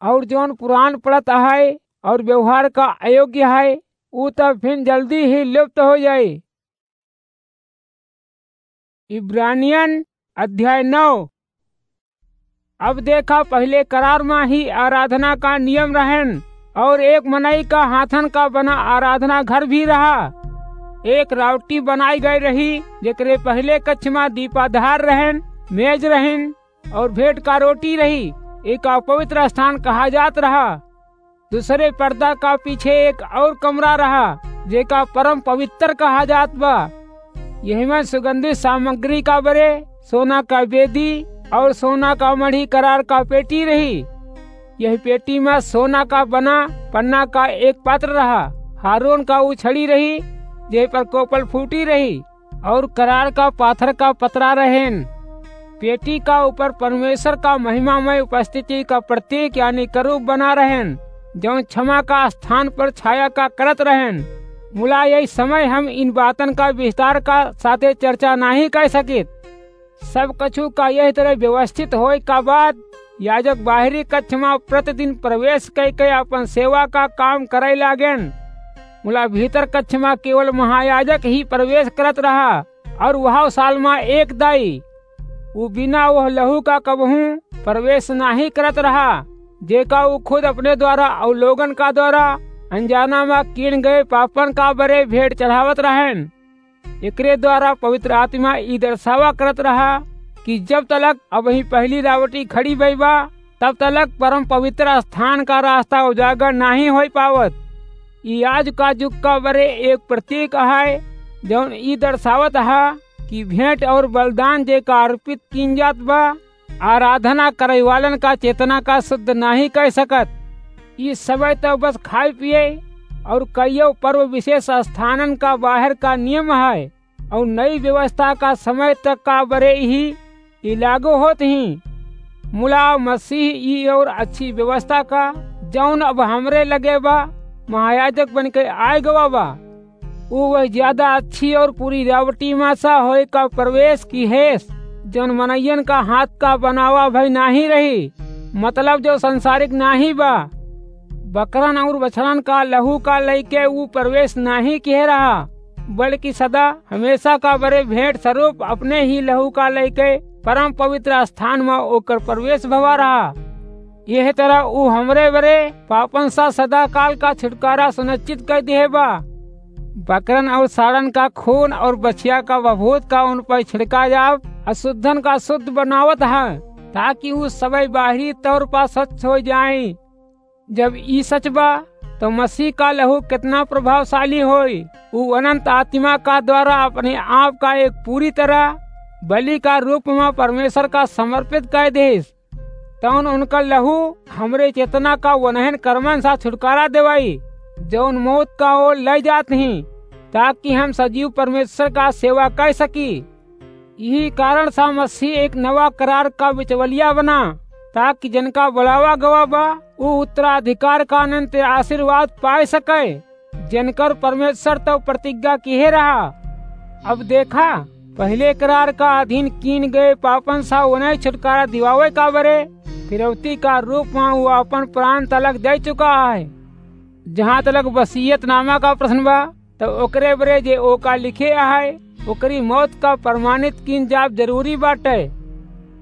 और जौन पुरान पड़त है और व्यवहार का अयोग्य है, ऊ तब फिर जल्दी ही लुप्त हो जाई। इब्रानियन अध्याय नौ। अब देखा, पहिले करार मा ही आराधना का नियम रहन, और एक मनई का हाथन का बना आराधना घर भी रहा। एक रावटी बनाई गई रही, जेकरे पहिले कक्ष मा दीपाधार रहन, मेज रहन, और भेंट का रोटी रही। एका पवित्र स्थान कहा जात रहा। दूसरे पर्दा का पीछे एक और कमरा रहा, जेका परम पवित्र कहा जात बा। यही में सुगंधित सामग्री का बरे सोना का बेदी और सोना का मढ़ी करार का पेटी रही। यही पेटी में सोना का बना पन्ना का एक पात्र रहा। हारून का ऊ छड़ी रही, जे पर कोपल फूटी रही, और करार का पाथर का पतरा रहेन। पेटी का ऊपर परमेश्वर का महिमामय उपस्थिति का प्रतीक यानी करूब बना रहेन, जौन क्षमा का स्थान पर छाया का करत रहेन। मुला यही समय हम इन बातन का विस्तार का साथे चर्चा नाहीं कर सकित। सब कछु का यही तरह व्यवस्थित होए का बाद याजक बाहरी कक्ष मा प्रतिदिन प्रवेश कइके अपन सेवा का काम करे लागेन। मुला भीतर कक्ष मा केवल महायाजक ही प्रवेश करत रहा, और वह साल मा एक दाई। ऊ बिना वह लहू का कबहूँ प्रवेश नाहीं करत रहा, जेका ऊ खुद अपने द्वारा और लोगन का द्वारा अनजाना मा किन गए पापन का बरे भेंट चढ़ावत रहेन। एकरे द्वारा पवित्र आत्मा ई दर्शावा करत रहा कि जब तलक अबहीं पहली रावटी खड़ी भई बा, तब तलक परम पवित्र स्थान का रास्ता उजागर नाहीं होई पावत। ई आज का जुग का बरे एक प्रतीक है, जौन ई दर्शावत है कि भेंट और बलिदान जेका अर्पित कीन जात बा, आराधना करे वालन का चेतना का शुद्ध नाहीं कर सकत। ई समय तो बस खाए पिए और कईयो पर्व विशेष स्थानन का बाहर का नियम है और नई व्यवस्था का समय तक का बरे ही ई लागू होत ही। मुला मसीह ई और अच्छी व्यवस्था का, जौन अब हमरे लगे बा, महायाजक बन के आए गवा बा। ऊ वह ज्यादा अच्छी और पूरी रावटी मा सा होए का प्रवेश की हेस, जौन मनइयन का हाथ का बनावा भई नाहीं रही, मतलब जो संसारिक नाहीं बा। बकरन और बछड़न का लहू का लइके ऊ प्रवेश नाहीं किहे रहा, बल्कि सदा हमेशा का बरे भेंट स्वरूप अपने ही लहू का लइके परम पवित्र स्थान मा ओकर प्रवेश भवा रहा। यह तरह ऊ हमरे बरे पापन सा सदा काल का छुटकारा सुनिश्चित कर दिहे बा। बकरन और साड़न का खून और बछिया का बभूत का उन पर छिड़का जाव, अशुद्धन का शुद्ध बनावत है, ताकि ऊ सबई बाहरी तौर पर स्वच्छ हो जाएं। जब ई सच बा, तो मसीह का लहू कितना प्रभावशाली होई। ऊ अनंत आत्मा का द्वारा अपने आप का एक पूरी तरह बलि का रूप मा परमेश्वर का समर्पित कर देस। तौन उनकर लहू हमरे चेतना का वनहन कर्मन सा छुटकारा देवाई, जौन मौत का ओर लइ जात ही, ताकि हम सजीव परमेश्वर का सेवा कर सकी। यही कारण सा मसीह एक नवा करार का बिचवलिया बना, ताकि जिनका बुलावा गवा बा, ऊ उत्तराधिकार का अनंत आशीर्वाद पाए सके, जिनकर परमेश्वर तो प्रतिज्ञा किहे रहा। अब देखा, पहले करार का अधीन कीन गए पापन सा उन्हें छुटकारा दिवावे का बरे फिरौती का रूप में वो अपन प्राण तलक दे चुका है। जहाँ तलक वसीयतनामा का प्रश्न बा, तो ओकरे बरे जे ओका लिखे आहे, ओकरी मौत का प्रमाणित कीन जाब जरूरी बाटे।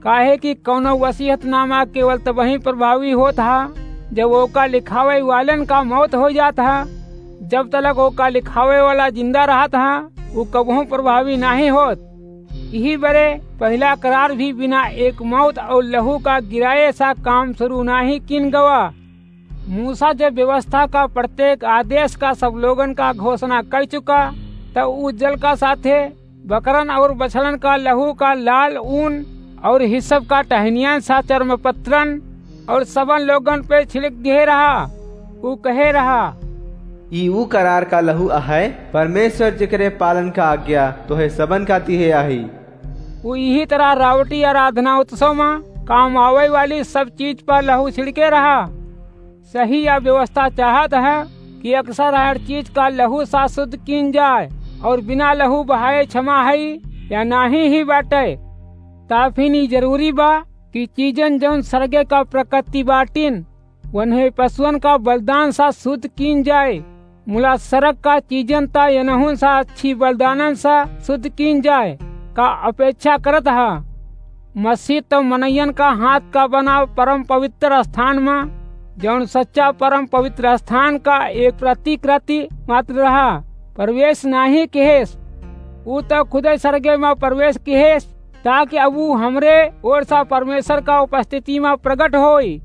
काहे कि कौनो वसीयतनामा केवल तबही प्रभावी होत हा, जब ओका लिखावे वालन का मौत हो जात हा। जब तलक ओका लिखावे वाला जिंदा रहत हा, उ कबहूँ प्रभावी नाहीं होत। यही बरे पहला करार भी बिना एक मौत और लहू का गिराए सा काम शुरू नाहीं कीन गवा। मूसा जब व्यवस्था का प्रत्येक आदेश का सब लोगन का घोषणा कर चुका, तब उ जल का साथे बकरन और बछड़न का लहू का लाल ऊन और हिस्सप का टहनियन सा चर्म पत्रन और सबन लोगन पे छिड़क दिए रहा। उ कहे रहा, "ई ऊ करार का लहू अहै, परमेश्वर जेकरे पालन का आज्ञा तोहे सबन का दिहे आही।" उ यही तरह रावटी आराधना उत्सव में काम आवे वाली सब चीज पर लहू छिड़के रहा। सही या व्यवस्था चाहत है कि अक्सर हर चीज का लहू सा शुद्ध कीन जाए और बिना लहू बहाए क्षमा है या नाही ही बाटे। ताफिन ई जरूरी बा कि चीजन जौन सरगे का प्रकृति बाटिन, वन्हे पशुअन का बलिदान सा शुद्ध कीन जाए। मुला सरग का चीजन ता यनहुन सा अच्छी बलिदानन सा शुद्ध कीन जाए का अपेक्षा करत हा। मसीह तो मनैयन का हाथ का बना परम पवित्र स्थान मा, जौन सच्चा परम पवित्र स्थान का एक प्रतिकृति मात्र रहा, प्रवेश नाही किहेस। ऊ तो खुदे सरगे मा प्रवेश किहेस, ताकि अब ऊ हमरे ओर सा परमेश्वर का उपस्थिति मा प्रगट होई।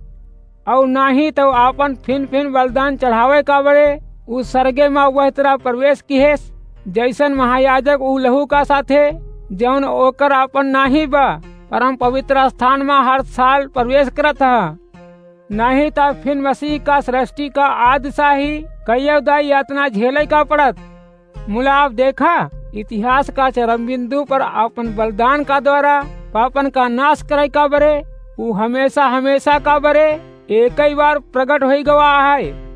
और नाही तो आपन फिन फिन बलिदान चढ़ावे का बरे उ सरगे मा वह तरह प्रवेश किहेस, जैसन महायाजक उ लहू का साथे, जौन ओकर आपन नाही बा, परम पवित्र स्थान मा हर साल प्रवेश करत ह। नाही तो फिन मसीह का सृष्टि का आदि सा ही कईयो दाई यातना झेले का पड़त। मुला अब देखा, इतिहास का चरम बिंदु पर आपन बलिदान का द्वारा पापन का नाश करे का बरे, उ हमेशा हमेशा का बरे एक ही बार प्रगट होई गवा है।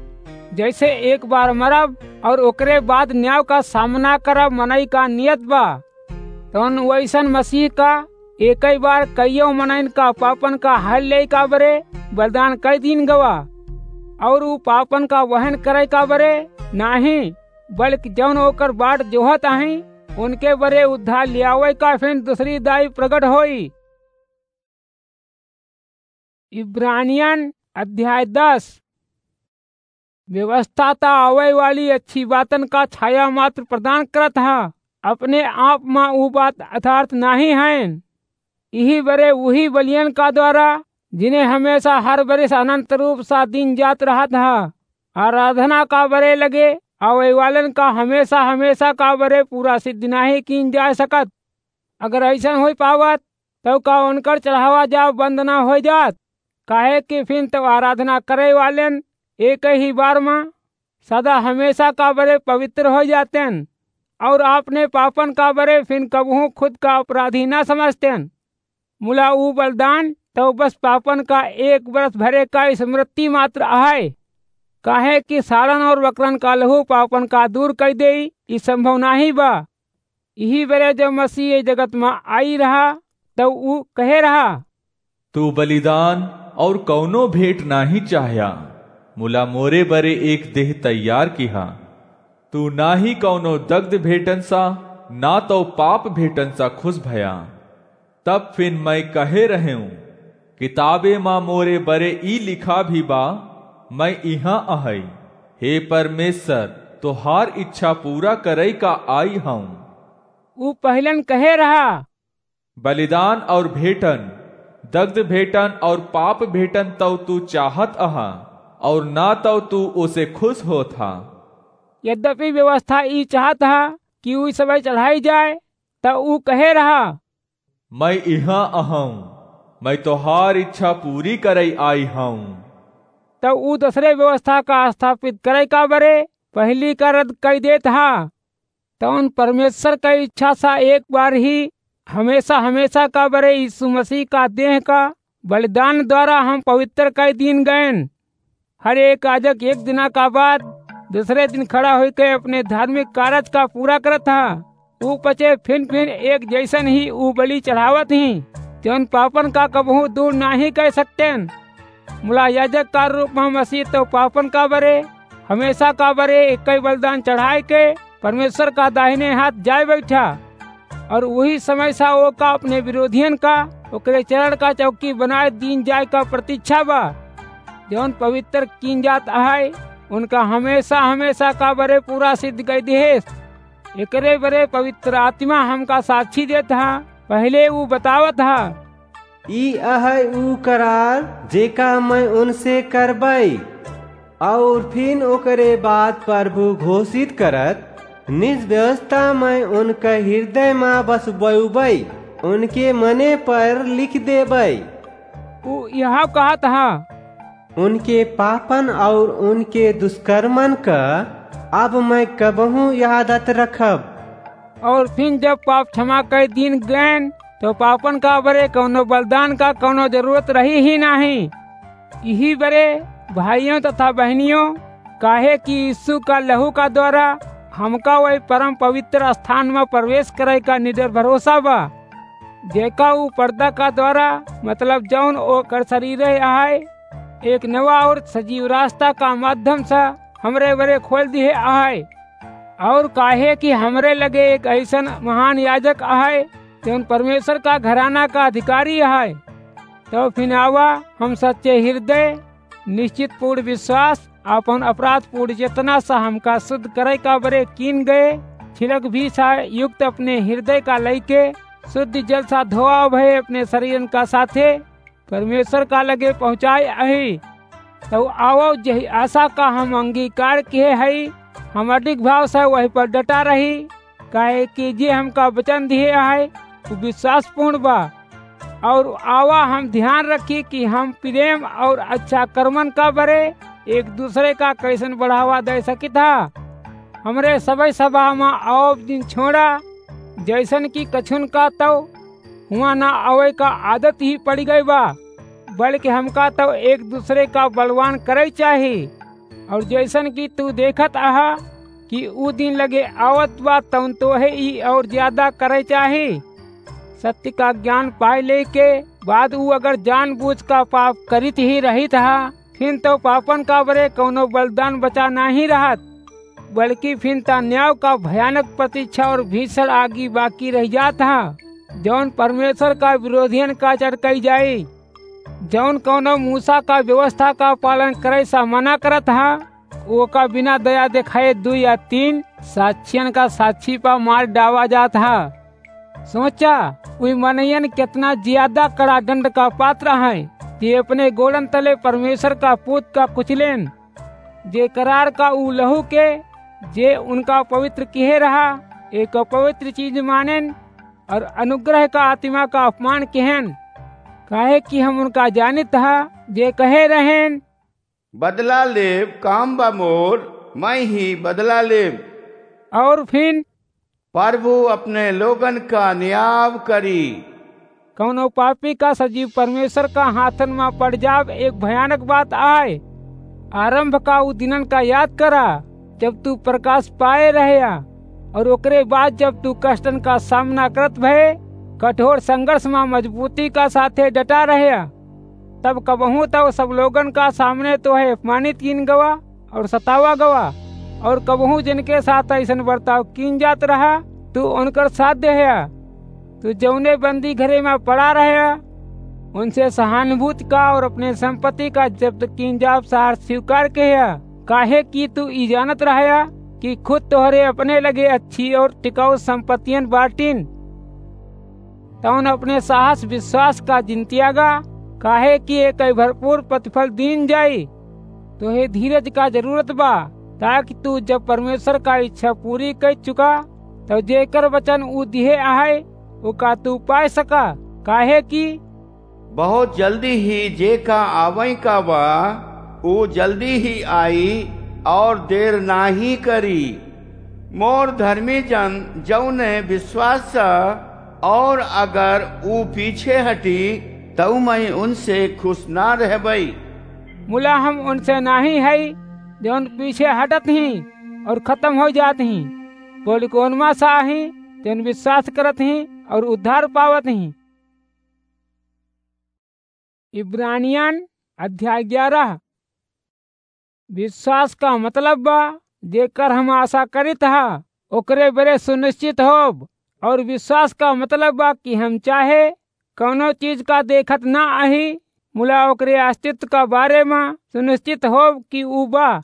जैसे एक बार मरब और ओकरे बाद न्याय का सामना करब मनई का नियत बा, तौन वैसन मसीह का एक ही बार कईयो मनइन का पापन का हल ले का बरे बलिदान कई दीन गवा। और उ पापन का वहन करे का बरे नाही, बल्कि जौन ओकर बाट जोहत अहीं, उनके बरे उद्धार लियावे का फिन दूसरी दाई प्रगट होई। इब्रानियन अध्याय दस। व्यवस्था त आवे वाली अच्छी बातन का छाया मात्र प्रदान करत ह, अपने आप मा उ बात यथार्थ नाही हैं। इही बरे उही बलियन का द्वारा, जिन्हें हमेशा हर बरिस अनंत रूप सा दीन जात रहत ह, आराधना का बरे लगे आवे वालन का हमेशा हमेशा का बरे पूरा सिद्ध नाही कीन जा सकत। अगर ऐसन होई पावत, तो का उनकर चढ़ावा जाव बंद ना हो जात? काहे कि फिन तो आराधना करे वालेन एक ही बार मा सदा हमेशा का बरे पवित्र हो जातेन और आपने पापन का बरे फिन कबहूँ खुद का अपराधी ना समझतेन। मुला ऊ बलिदान तो बस पापन का एक बरस भरे का स्मृति मात्र आहे, काहे कि साड़न और बकरन का लहू पापन का दूर कर देई, ई संभव नाही बा। इही बरे जब मसीह ये जगत मा आई रहा, तब ऊ कहे रहा, "तू बलिदान और कौनो भेंट नाही चाह्या, मुला मोरे बरे एक देह तैयार किहा। तू ना ही कौनो दग्ध भेंटन सा, ना तो पाप भेंटन सा खुश भया।" तब फिन मैं कहे रहेऊं, "किताबे मा मोरे बरे ई लिखा भी बा, मैं इहाँ अहई। हे परमेश्वर, तोहार इच्छा पूरा करई का आई हऊँ।" ऊ पहिलन कहे रहा, "बलिदान और भेंटन, दग्ध भेंटन और पाप भेंटन तौ तू चाहत अहा, और ना तौ तू ओसे खुश होत हा।" यद्यपि व्यवस्था ई चाहत हा कि ऊ सबई चढ़ाई जाए, त ऊ कहे रहा, "मैं इहाँ अहऊँ, मैं तोहार इच्छा पूरी करइ आई हऊँ। तब ऊ दूसरे व्यवस्था का स्थापित करइ का बरे पहिली का रद्द कइ देत हा। तउन परमेश्वर का इच्छा सा एक बार ही हमेशा हमेशा का बरे यीशु मसीह का देह का बलिदान द्वारा हम पवित्र कइ दीन गएन। हर एक याजक एक दिना का बाद दूसरे दिन खड़ा होइके अपने धार्मिक कारज का पूरा करत हा। ऊ पचे फिन फिन एक जैसन ही ऊ बलि चढ़ावत ही, जौन पापन का कबहूँ दूर नाहीं कइ सकतेन। मुला याजक का रूप में मसीह तो पापन का बरे हमेशा का बरे एक ही बलिदान चढ़ाइके परमेश्वर का दाहिने हाथ जाइ बैठा। और उही समय सा ओका अपने विरोधियन का ओकरे चरण का चौकी बनाइ दीन जाइ का प्रतीक्षा बा। जौन पवित्र कीन जात अहइ, उनका हमेशा हमेशा का बरे पूरा सिद्ध कइ दिहेस। एकरे बरे पवित्र आत्मा हमका साक्षी देत हा। पहिले ऊ बतावत हा, "ई अहइ ऊ करार जेका मैं उनसे करबइ।" और फिन ओकरे बाद प्रभु घोषित करत, "निज व्यवस्था मैं उनके हृदय मा बसबउबइ, उनके मने पर लिख देबइ।" ऊ यह कहत हा, "उनके पापन और उनके दुष्कर्मन का अब मैं कबहूँ यादत रखब।" और फिन जब पाप क्षमा कइ दीन गएन, तो पापन का बरे कउनो बलिदान का कउनो जरूरत रही ही नाहीं। इही बरे भाइयों तथा बहनियों, काहे कि यीशु का लहू का द्वारा हमका वही परम पवित्र स्थान में प्रवेश करइ का निडर भरोसा बा, जेका ऊ पर्दा का द्वारा, मतलब जौन ओकर शरीर अहइ, एक नवा और सजीव रास्ता का माध्यम से हमरे बरे खोल दिहे अहइ। और काहे कि हमरे लगे एक अइसन महान याजक अहइ, जौन परमेश्वर का घराना का अधिकारी अहइ। तो फिन आवा, हम सच्चे हृदय, निश्चित पूर्ण विश्वास, अपन अपराध पूर्ण चेतना से हमका शुद्ध करइ का बरे कीन गए छिलक भी सा युक्त अपने हृदय का लइके शुद्ध जल सा धोआ भए अपने शरीरन का साथे परमेश्वर का लगे पहुँचाए अही। तउ आवो, जेहि आशा का हम अंगीकार किहे हई, हम अडिग भाव से वही पर डटा रही, काहे कि जे हमका वचन दिहे अहइ, उ विश्वासपूर्ण बा। और आवा, हम ध्यान रखी कि हम प्रेम और अच्छा कर्मन का बरे एक दूसरे का कइसन बढ़ावा दे सकित हा। हमरे सबै सभा मा आवब दिन छोड़ा, जइसन कि कछुन का तउ हुआँ ना आवइ का आदत ही पड़ि गइ बा, बल्कि हमका तउ एक दूसरे का बलवान करइ चाही। और जइसन कि तू देखत अहा कि ऊ दिन लगे आवत बा, तउन तोहे ई और ज्यादा करइ चाही। सत्य का ज्ञान पाइ लेइ के बाद ऊ अगर जानबूझ का पाप करित ही रहित हा, फिन तउ पापन का बरे कउनो बलिदान बचा नाहीं रहत, बल्कि फिन ता न्याय का भयानक प्रतीक्षा और भीषण आगी बाकी रहि जात हा, जउन परमेश्वर का विरोधियन का चटकइ जाई, जउन कउनो मूसा का व्यवस्था का पालन करइ सा मना करत हा, ओका बिना दया देखाए दुइ या तीन साक्षियन का साक्षी पा मार डावा जात हा। सोचा, उइ मनइयन केतना ज्यादा कड़ा दंड का पात्र हैं, जे अपने गोड़न तले परमेश्वर का पूत का कुचलेन, जे करार का ऊ लहू के, जे उनका पवित्र किहे रहा, एक पवित्र चीज मानेन, और अनुग्रह का आत्मा का अपमान किहेन। काहे कि हम उनका जानित हा, जे कहे रहेन, "बदला लेब, काम बा मोर, मैं ही बदला लेब।" और फिन, "प्रभु अपने लोगन का न्याय करी।" कउनो पापी का सजीव परमेश्वर का हाथन मा पड़ जाब एक भयानक बात आए। आरंभ का उ दिनन का याद करा, जब तू प्रकाश पाए रहया, और ओकरे बाद जब तू कष्टन का सामना करत भए, कठोर संघर्ष मा मजबूती का साथे डटा रहया। तब कबहूँ तउ सब लोगन का सामने तोहे अपमानित कीन गवा और सतावा गवा, और कबहूँ जिनके साथ अइसन बर्ताव कीन जात रहा, तू उनकर साथ देहया। तू जउने बंदी घरे मा पड़ा रहया, उनसे सहानुभूति का और अपने संपत्ति का जब्त कीन जाब सार स्वीकार किहया, काहे कि तू ई जानत रहया कि खुद तोहरे अपने लगे अच्छी और टिकाऊ संपत्तियन बाटिन। तउन अपने साहस विश्वास का जिन त्यागा, काहे कि एकइ भरपूर प्रतिफल दीन जाई। तोहे धीरज का जरूरत बा, ताकि तू जब परमेश्वर का इच्छा पूरी कइ चुका, तब जेकर वचन ऊ दिहे अहइ, ओका तू पाए सका, काहे कि बहुत जल्दी ही जेका आवइ का बा, ऊ जल्दी ही आई और देर नाहीं करी। मोर धर्मी जन जउने विश्वास स, और अगर ऊ पीछे हटी, तउ मइँ उनसे खुस ना रहबइ। मुला हम उनसे नाहीं हई, जउन पीछे हटत हीं और खतम होइ जात हीं, बल्कि ओनमा स हीं, जउन विश्वास करत हीं और उद्धार पावत हीं। इब्रानियन अध्याय ग्यारह। विश्वास का मतलब बा, जेकर हम आसा करित ह, ओकरे बरे सुनिश्चित होब। और विश्वास का मतलब बा कि हम चाहे कउनो चीज का देखत ना अही, मुला ओकरे अस्तित्व का बारे मा सुनिश्चित होब कि ऊ बा।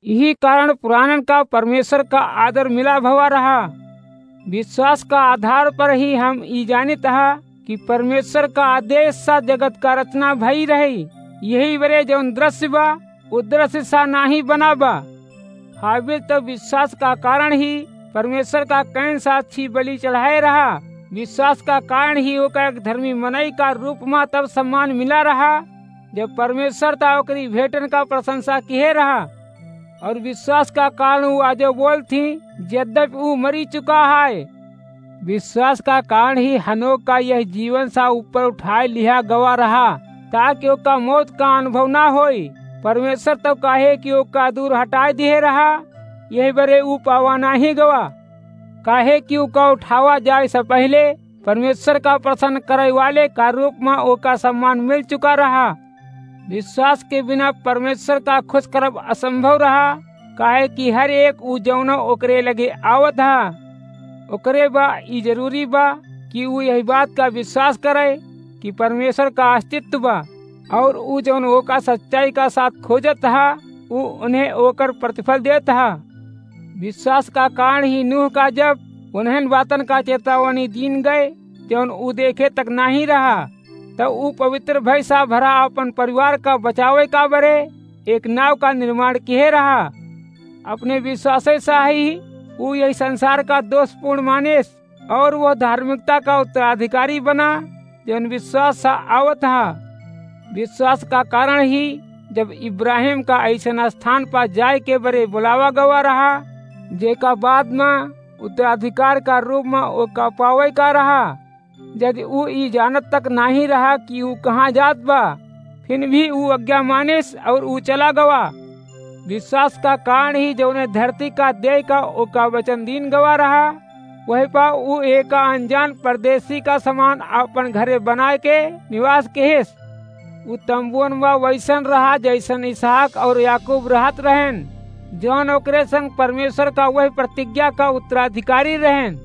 इही कारण पुरानन का परमेश्वर का आदर मिला भवा रहा। विश्वास का आधार पर ही हम ई जानित ह कि परमेश्वर का आदेश सा जगत का रचना भई रही। यही बरे जउन दृश्य बा, उ दृश्य सा नाहीं बना बा। हाबिल तो विश्वास का कारण ही परमेश्वर का कैन सा अच्छी बलि चढ़ाए रहा। विश्वास का कारण ही ओका एक धर्मी मनई का रूप मा तब सम्मान मिला रहा, जब परमेश्वर ता ओकरी भेंटन का प्रशंसा किहे रहा। और विश्वास का कारण ऊ आजो बोलत हीं, यद्यपि ऊ मरी चुका है। विश्वास का कारण ही हनोक का यह जीवन सा ऊपर उठाए लिहा गवा रहा, ताकि ओका मौत का अनुभव ना होई। परमेश्वर तो काहे कि ओका दूर हटाए दिहे रहा, यही बरे ऊ पावा नाहीं गवा। काहे कि ओका उठावा जाए से पहिले परमेश्वर का प्रसन्न करे वाले का रूप मा ओका सम्मान मिल चुका रहा। विश्वास के बिना परमेश्वर का खुश करब असंभव रहा, काहे कि हर एक ऊ जउनो ओकरे लगे आवत ह, ओकरे बा ई जरूरी बा कि ऊ यही बात का विश्वास करे कि परमेश्वर का अस्तित्व बा, और ऊ जउन ओका सच्चाई का साथ खोजत ह, ऊ उन्हें ओकर प्रतिफल देत ह। विश्वास का कारण ही नूह का जब उन्हन बातन का चेतावनी दीन गए, जउन ऊ देखे तक नाहीं रहा, तब ऊ पवित्र भय सा भरा अपन परिवार का बचावे का बरे एक नाव का निर्माण किहे रहा। अपने विश्वासे सा ही ऊ यही संसार का दोषपूर्ण मानेस और वह धार्मिकता का उत्तराधिकारी बना, जउन विश्वास सा आवत ह। विश्वास का कारण ही जब इब्राहिम का अइसन स्थान पर जाए के बरे बुलावा गवा रहा, जेका बाद मा उत्तराधिकार का रूप मा ओका पावे का रहा, जदि ऊ ई जानत तक नाहीं रहा कि ऊ कहाँ जात बा, फिर भी ऊ आज्ञा मानिस और ऊ चला गवा। विश्वास का कारण ही जउने धरती का देय का ओका वचन दीन गवा रहा, वही पा ऊ एका अनजान परदेसी का समान आपन घरे बनाए के निवास किहिस। ऊ तंबुअन मा वइसन रहा, जइसन इसहाक और याकूब रहत रहेन, जउन ओकरे संग परमेश्वर का वही प्रतिज्ञा का उत्तराधिकारी रहेन।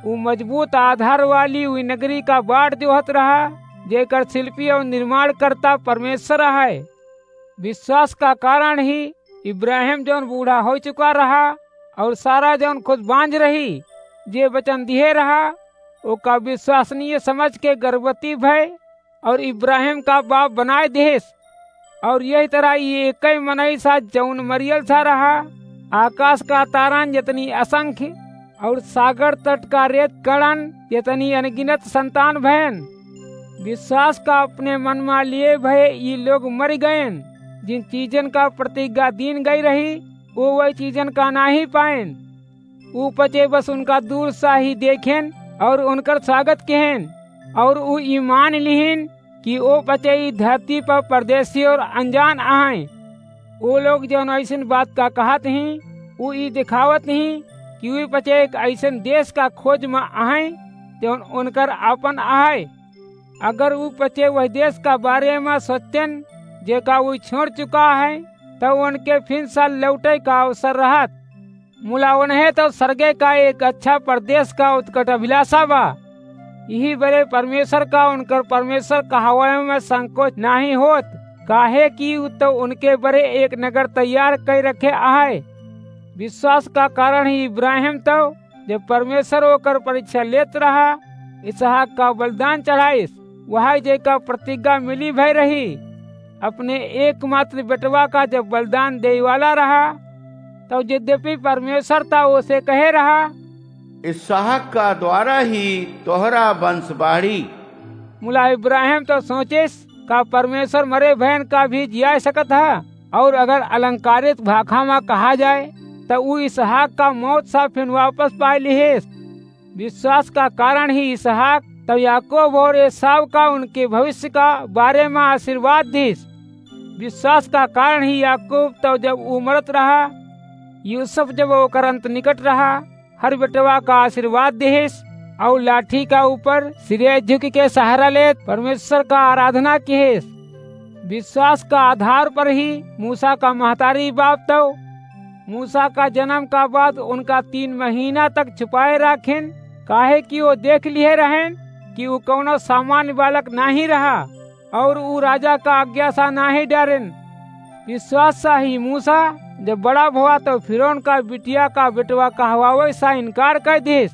ऊ मजबूत आधार वाली ऊ नगरी का बाट जोहत रहा, जेकर शिल्पी और निर्माणकर्ता परमेश्वर है। विश्वास का कारण ही इब्राहिम जउन बूढ़ा होइ चुका रहा और सारा जउन खुद बांझ रही, जे वचन दिहे रहा, ओका विश्वसनीय समझ के गर्भवती भय और इब्राहिम का बाप बनाए देहेस। और यही तरह ई एकई मनई सा जउन मरियल सा रहा, आकाश का तारन जतनी असंख्य और सागर तट का रेत कणन जतनी अनगिनत संतान भयन। विश्वास का अपने मन मा लिए भये ई लोग मरि गयन, जिन चीजन का प्रतिज्ञा दीन गई रही, वो वही चीजन का नाहीं पायन। ऊ पचे बस उनका दूर सा ही देखेन और उनकर स्वागत किहेन, और ऊ ईमान लिहिन कि ओ पचे ई धरती पर परदेसी और अनजान आहैं। ओ लोग जउन अइसन बात का कहत हीं, ऊ ई दिखावत हीं कि ऊ पचे एक अइसन देश का खोज मा आहैं, जउन उनकर आपन आहै। अगर ऊ पचे वही देश का बारे मा सोचतेन, जेका ऊ छोड़ चुका है, तब उनके फिर सा लौटे का अवसर रहत। मुला उन्हें तो स्वर्गे का एक अच्छा परदेस का उत्कट अभिलाषा बा। यही बरे परमेश्वर का उनकर परमेश्वर कहवावे मा संकोच नाहीं होत, काहे कि ऊ तो उनके बरे एक नगर तैयार कइ रखे आहे। विश्वास का कारण ही इब्राहिम तो जब परमेश्वर ओकर परीक्षा लेत रहा, इसहाक का बलिदान चढ़ाइस, वही जेका प्रतिज्ञा मिली भई रही। अपने एकमात्र बेटवा का जब बलिदान देइ वाला रहा, तब यद्यपि परमेश्वर ता ओसे कहे रहा, इसहाक का द्वारा ही तोहरा वंश बाढ़ी। मुला इब्राहिम तो सोचिस, का परमेश्वर मरे भयन का भी जियाय सकत ह? और अगर अलंकारित भाखा मा कहा जाए, त ऊ इसहाक का मौत सा फिन वापस पाय लिहिस। विश्वास का कारण ही इसहाक तब याकूब और एसाव का उनके भविष्य का बारे मा आशीर्वाद दिस। विश्वास का कारण ही याकूब तब जब ऊ मरत रहा, यूसुफ जब ओकर अंत निकट रहा, हर बेटवा का आशीर्वाद दिहिस और लाठी का ऊपर सिरे झुक के सहारा लेत परमेश्वर का आराधना किहिस। विश्वास का आधार पर ही मूसा का महतारी बाप तौ मूसा का जन्म का बाद उनका तीन महीना तक छुपाए राखेन, काहे कि वो देख लिहे रहेन कि वो कौनो सामान्य बालक नाही रहा और ऊ राजा का आज्ञा सा नाही डरेन। विश्वास सा ही मूसा जब बड़ा भवा तो फिरौन का बिटिया का बेटवा कहवावे सा इनकार कर दिस।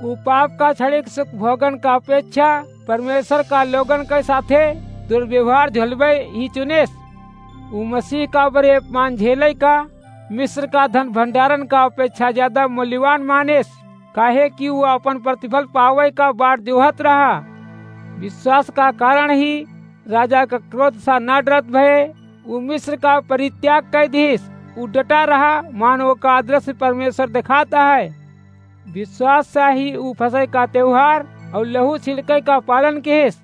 ऊ पाप का क्षणिक सुख भोगन का अपेक्षा परमेश्वर का लोगन के साथे दुर्व्यवहार झेलबे ही चुनेस। ऊ मसीह का बरे अपमान झेले का मिस्र का धन भंडारन का अपेक्षा ज्यादा मूल्यवान मानेस, काहे कि ऊ अपन प्रतिफल पावे का बाट जोहत रहा। विश्वास का कारण ही राजा का क्रोध सा ना डरत भये, ऊ मिस्र का परित्याग कर दिस। ऊ डटा रहा, मानो का अदृश्य परमेश्वर दिखाता है। विश्वास सा ही ऊ फसह का त्योहार और लहू छिड़के का पालन किहिस,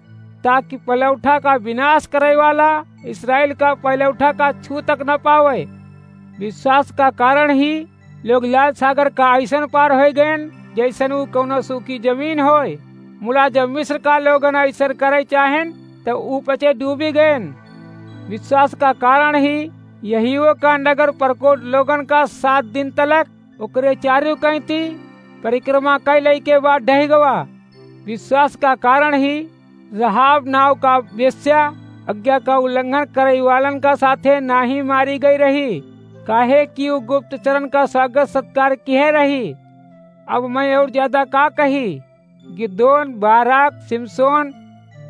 ताकि पलौठा का विनाश करे वाला इस्राएल का पलौठा का छू तक न पावे। विश्वास का कारण ही लोग लाल सागर का ऐसन पार होय गयन, जैसन ऊ कौनो सूखी जमीन होय। मुला जब मिस्र का लोगन ऐसन करे चाहेन, त ऊ पचे डूबी गयन। विश्वास का कारण ही यहीओ का नगर परकोट लोगन का सात दिन तलक ओकरे चारू कैंती परिक्रमा कैले के बाद ढह गवा। विश्वास का कारण ही रहाब नाव का वेश्या आज्ञा का उल्लंघन करे वालन का साथे नाही मारी गई रही, काहे कि ऊ गुप्तचरन का स्वागत सत्कार किहे रही। अब मैं और ज्यादा का कही? गिदोन, बाराक, सिमसोन,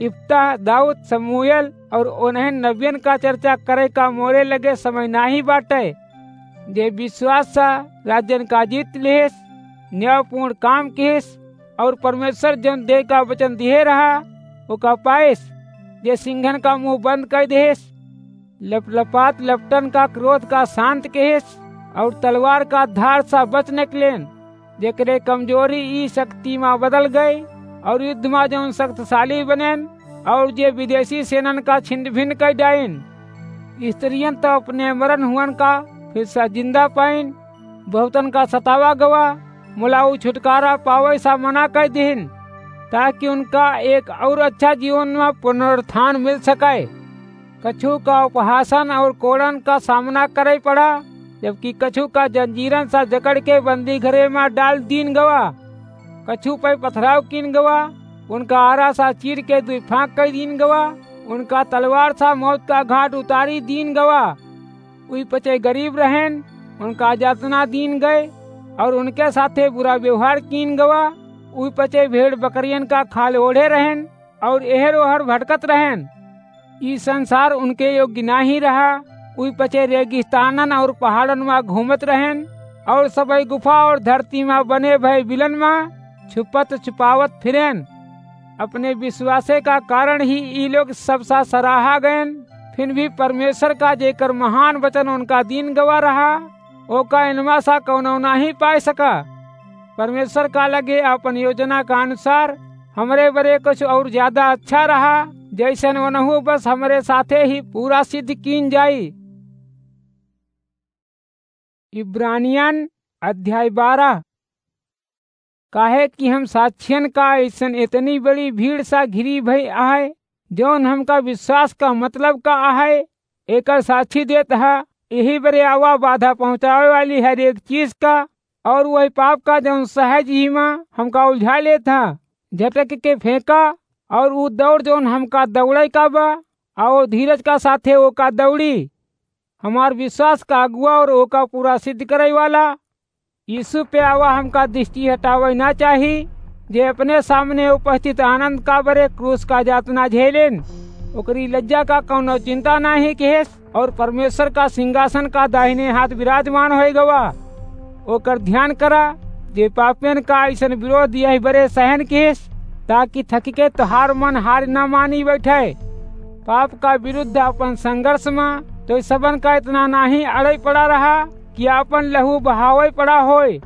इफ्ता, दाऊद, समूएल और उन्हें नबियन का चर्चा करे का मोरे लगे समय नाही बाटे। जे विश्वास सा राज्यन का जीत लिहिस, न्यायपूर्ण काम किहिस और परमेश्वर जौन दे का वचन दिहे रहा, ओका पाइस। जे सिंघन का मुंह बंद कर दिहिस, लपलपात लपटन का क्रोध का शांत किहिस और तलवार का धार सा बच निकलेन। जेकरे कमजोरी ई शक्ति मा बदल गई और युद्ध मा जौन शक्तिशाली बनेन और जे विदेशी सेनन का छिन्न भिन्न कर डाइन। स्त्रियन तो अपने मरन हुअन का फिर से जिंदा पाइन। बहुतन का सतावा गवा, मुला ऊ छुटकारा पावे सा मना कर दिहिन, ताकि उनका एक और अच्छा जीवन मा पुनरुत्थान मिल सके। कछु का उपहासन और कोड़न का सामना करे पड़ा, जबकि कछु का जंजीरन सा जकड़ के बंदी घरे मा डाल दीन गवा। कछु पे पथराव कीन गवा, उनका आरा सा चीर के दुई फांक कर दीन गवा, उनका तलवार सा मौत का घाट उतारी दीन गवा। उई पचे गरीब रहेन, उनका यातना दीन गए और उनके साथे बुरा व्यवहार कीन गवा। उई पचे भेड़ बकरियन का खाल ओढ़े रहेन और एहर ओहर भटकत रहेन। ई संसार उनके योग्य नाही रहा। उई पचे रेगिस्तानन और पहाड़न मा घूमत रहेन और सबई गुफा और धरती मा बने भय बिलन मा छुपत छुपावत फिरेन। अपने विश्वासे का कारण ही ई लोग सबसा सराहा गयन। फिर भी परमेश्वर का जेकर महान वचन उनका दीन गवा रहा, ओका इनवा सा कौनो नाही पाए सका। परमेश्वर का लगे अपन योजना का अनुसार हमरे बरे कुछ और ज्यादा अच्छा रहा, जैसन ओनहु बस हमरे साथे ही पूरा सिद्ध कीन जाई। इब्रानियन अध्याय बारह। काहे कि हम साक्षियन का अइसन इतनी बड़ी भीड़ सा घिरी भई आहे, जौन हमका विश्वास का मतलब का आहे, एकर साक्षी देत हा। यही बरे आवा बाधा पहुँचावे वाली हर एक चीज का और वही पाप का, जौन सहज ही मा हमका उलझा लेत हा। झटक के फेंका और ऊ दौड़, जौन हमका दौड़े का बा, और धीरज का साथे ओका दौड़ी। हमार विश्वास का अगुआ और ओका पूरा सिद्ध करे वाला यीशु पे आवा हमका दृष्टि हटावे ना चाही, जे अपने सामने उपस्थित आनंद का बरे क्रूस का यातना झेलेन। ओकरी लज्जा का कौनो चिंता नाही किहेस और परमेश्वर का सिंहासन का दाहिने हाथ विराजमान होए गवा। ओकर ध्यान करा, जे पापियन का अइसन विरोध यही बरे सहन किहेस, ताकि थकिके तोहार मन हार न मानी बैठे। पाप का विरुद्ध अपन संघर्ष मा तोह सबन का इतना नाहीं अड़ै पड़ा रहा कि अपन लहू बहावै पड़ा होय।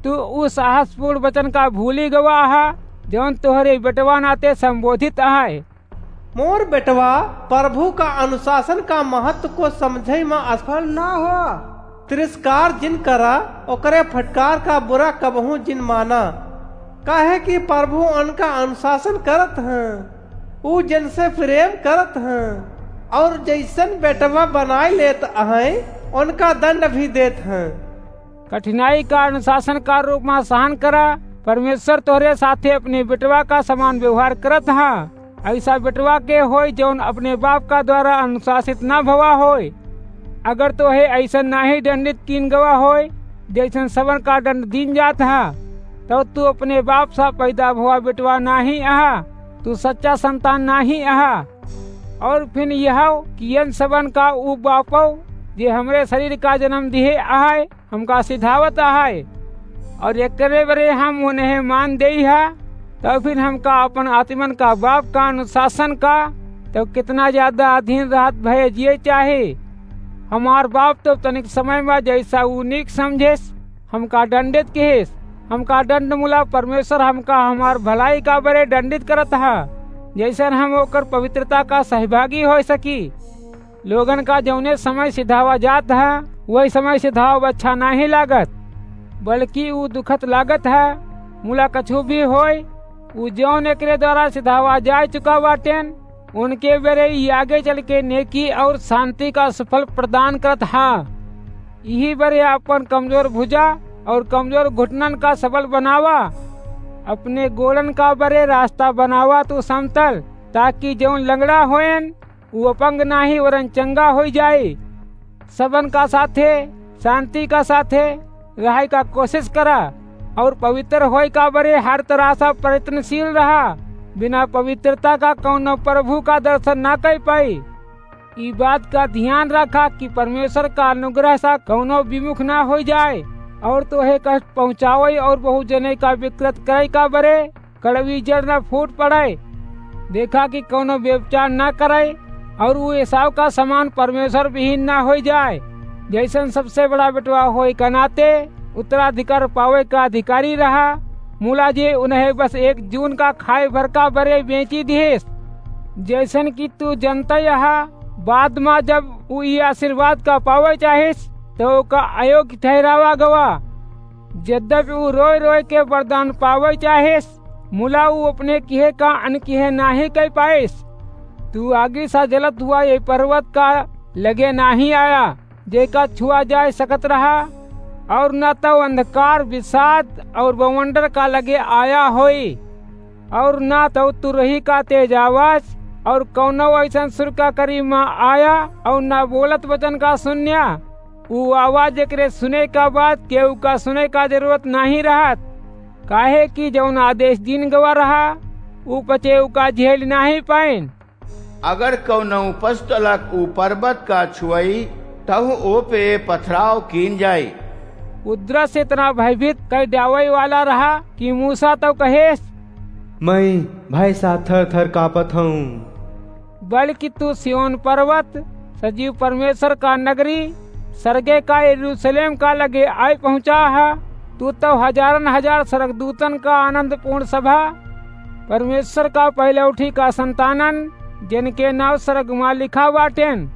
तू उ साहसपूर्ण वचन का भूली गवा हा, जौन तोहरे बेटवा नाते संबोधित अहै। मोर बेटवा, प्रभु का अनुशासन का महत्व को समझै मा असफल ना हो। तिरस्कार जिन करा, ओकरे फटकार का बुरा कबहूँ जिन माना, काहे कि प्रभु उनका अनुशासन करत हैं। ऊ जिनसे प्रेम करत हैं और जैसन बेटवा बनाए लेत हैं, उनका दंड भी देत हैं। कठिनाई का अनुशासन का रूप मा सहन करा। परमेश्वर तोहरे साथे अपने बेटवा का समान व्यवहार करत हा। ऐसा बेटवा के होय, जौन अपने बाप का द्वारा अनुशासित ना भवा होय। अगर तोहे ऐसन नाहीं दंडित कीन गवा होय, जैसन सबन का दंड दीन जात हा, तब तू अपने बाप सा पैदा भवा बेटवा नाहीं अहा, तू सच्चा संतान नाहीं अहा। और फिर यह कि यन सबन का ऊ बापो, जे हमरे शरीर का जन्म दिहे अहै, हमका सिधावत अहै, और एकरे बरे हम उन्हें मान देई हा, तब फिर हमका अपन आत्मन का बाप का अनुशासन का, तब कितना ज्यादा अधीन रहत भये जिए चाहे। हमार बाप तो तनिक समय मा जैसा ऊ नीक समझेस, हमका दंडित किहेस। हमका दंड मुला परमेश्वर हमका हमार भलाई का बरे दंडित करत हा, जैसन हम ओकर पवित्रता का सहभागी हो सकी। लोगन का जौने समय सिधावा जात है, वही समय सिधावा अच्छा नाहीं लागत, बल्कि ऊ दुखत लागत है। मुला कछु भी होय, ऊ जौन एकरे द्वारा सिधावा जाय चुका बाटेन, उनके बेरे ई आगे चल के नेकी और शांति का सुफल प्रदान करत हा। यही बरे अपन कमजोर भुजा और कमजोर घुटनन का सबल बनावा, अपने गोड़न का बरे रास्ता बनावा तू समतल, ताकि जौन लंगड़ा होयन, ऊ अपंग नाहीं वरन चंगा होई जाए। सबन का साथे, शांति का साथे रहै का कोशिश करा और पवित्र होय का बरे हर तरह से प्रयत्नशील रहा। बिना पवित्रता का कौनो प्रभु का दर्शन ना कर पाई। ई बात का ध्यान रखा कि परमेश्वर का अनुग्रह से कौनो विमुख ना हो जाए और तोहे कष्ट पहुँचावे और बहुत जने का विकृत करे का बरे कड़वी जड़ न फूट पड़े। देखा कि कौनो व्यभिचार न करे और वो एसाव का समान परमेश्वर विहीन न हो जाए। जैसन सबसे बड़ा बेटवा होए का नाते उत्तराधिकार पावे का अधिकारी रहा, मुला जे उन्हें बस एक जून का खाए भर का बरे बेची दिहेस। जैसन कि तू जनता यहा, बाद मा जब ऊ ई आशीर्वाद का पावे चाहिस, तो ओका अयोग्य ठहरावा गवा। यद्यपि ऊ रोय रोय के वरदान पावे चाहिस, मुला ऊ अपने किहे का अनकिहे नाहीं कह पाइस। तू आगी सा जलत हुआ ये पर्वत का लगे नाहीं आया, जेका छुआ जाए सकत रहा, और न तो अंधकार, विषाद और बवंडर का लगे आया होई, और न तो तुरही का तेज आवाज और कौनो ऐसन सुर का करीब मा आया, और न बोलत वचन का सुन्या। ऊ आवाज एकरे सुने का बाद केहू का सुने का जरूरत नाहीं रहत, काहे कि जौन आदेश दीन गवा रहा, ऊ पचे ओका झेल नाहीं पाइन। अगर कौनो पशुतलक ऊ पर्वत का छुअई, तहु ओ पे पथराव कीन जाई। ऊ दृश्य इतना भयभीत कर डावै वाला रहा कि मूसा तो कहेस, "मैं भय सा थर थर कांपत हूँ।" बल्कि तू सिय्योन पर्वत, सजीव परमेश्वर का नगरी, सरगे का यरूशलेम का लगे आय पहुँचा है। तू तो हजारन हजार स्वर्गदूतन का आनंदपूर्ण सभा, परमेश्वर का पहलौठी का संतानन, जिनके नाव स्वर्ग मा लिखा बाटेन,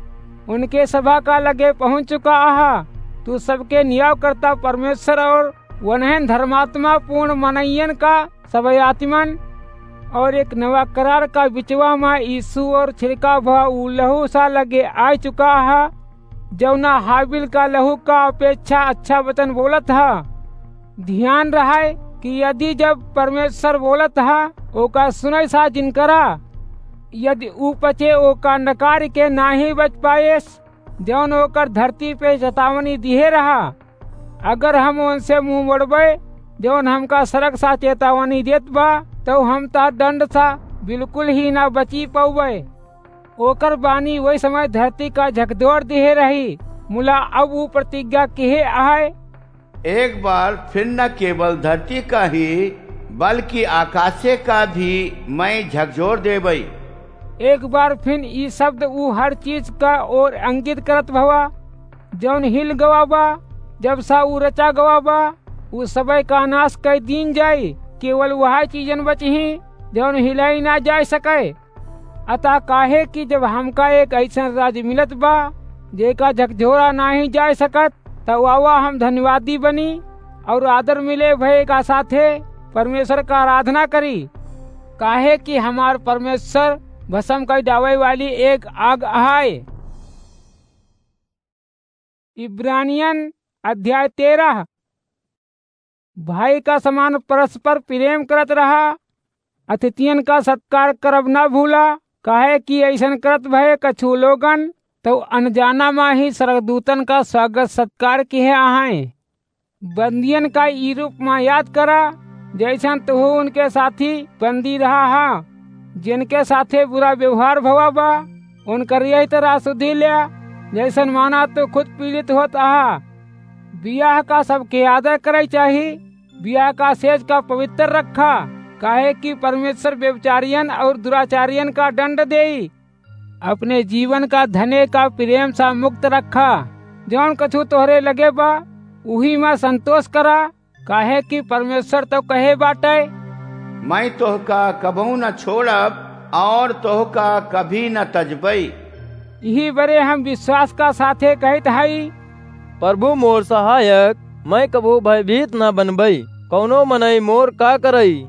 उनके सभा का लगे पहुँच चुका आहा। तू सबके नियाव करता परमेश्वर और वनहन धर्मात्मा पूर्ण मनइयन का सब आत्मन और एक नवा करार का बिचवा मा यीशु और छिड़का भा ऊ लहू सा लगे आ चुका हा, जौना हाबिल का लहू का अपेक्षा अच्छा वचन बोलत हा। ध्यान रहे कि यदि जब परमेश्वर बोलत हा, ओका सुनै सा जिनकरा, यदि ऊ पचे ओका नकार के नाहीं बच पाएस, जौन ओकर धरती पे चेतावनी दिहे रहा। अगर हम उनसे मुँह मोड़बे, जौन हमका सड़क सा चेतावनी देत बा, तो हम ता दंड सा बिल्कुल ही ना बची पौबे। ओकर बानी वही समय धरती का झकझोर दिहे रही। मुला अब ऊ प्रतिज्ञा किहे आहे। एक बार फिर न केवल धरती का ही, बल्कि आकाशे का भी मैं झकझोर देबई। एक बार फिन ई शब्द ऊ हर चीज का ओर अंगित करत भवा, जौन हिल गवा बा, जब सा ऊ रचा गवा बा, ऊ सबय का नाश कइ दीन जाई, केवल वह चीजन बचही, जौन हिलाई ना जाय सके। अतः काहे कि जब हमका एक अइसन राज मिलत बा, जेका झकझोरा नाहीं जाय सकत, त आवा हम धन्यवादी बनी और आदर मिले भय का साथे परमेश्वर का आराधना करी, काहे कि हमार परमेश्वर भस्म कइ डावै वाली एक आग अहाय। इब्रानियन अध्याय तेरह। भाई का समान परस्पर प्रेम करत रहा, अतिथियन का सत्कार करब ना भूला, काहे कि अइसन करत भय कछु लोगन तो अनजाना मा ही स्वर्गदूतन का स्वागत सत्कार किहे अहैं। बंदियन का ई रूप मा याद करा, जइसन तुहू उनके साथी बंदी रहा हा, जिनके साथे बुरा व्यवहार भवा बा, उनकर यही तरह सुधि ल्या, जइसन माना तू खुद पीड़ित होत अहा। बियाह का सबके आदर करइ चाही, बियाह का सेज का पवित्र रखा, काहे कि परमेश्वर व्यभिचारियन और दुराचारियन का दंड देई। अपने जीवन का धने का प्रेम सा मुक्त रखा। जौन कछु तोहरे लगे बा, उही मा संतोष करा, काहे कि परमेश्वर तो कहे बाटे, "मैं तोहका कबहूँ न छोड़ब और तोहका कभी न तजबई।" इही बरे हम विश्वास का साथे कहित हई, "प्रभु मोर सहायक, मैं कबहूँ भयभीत न बनबई। कौनो मनई मोर का करई?"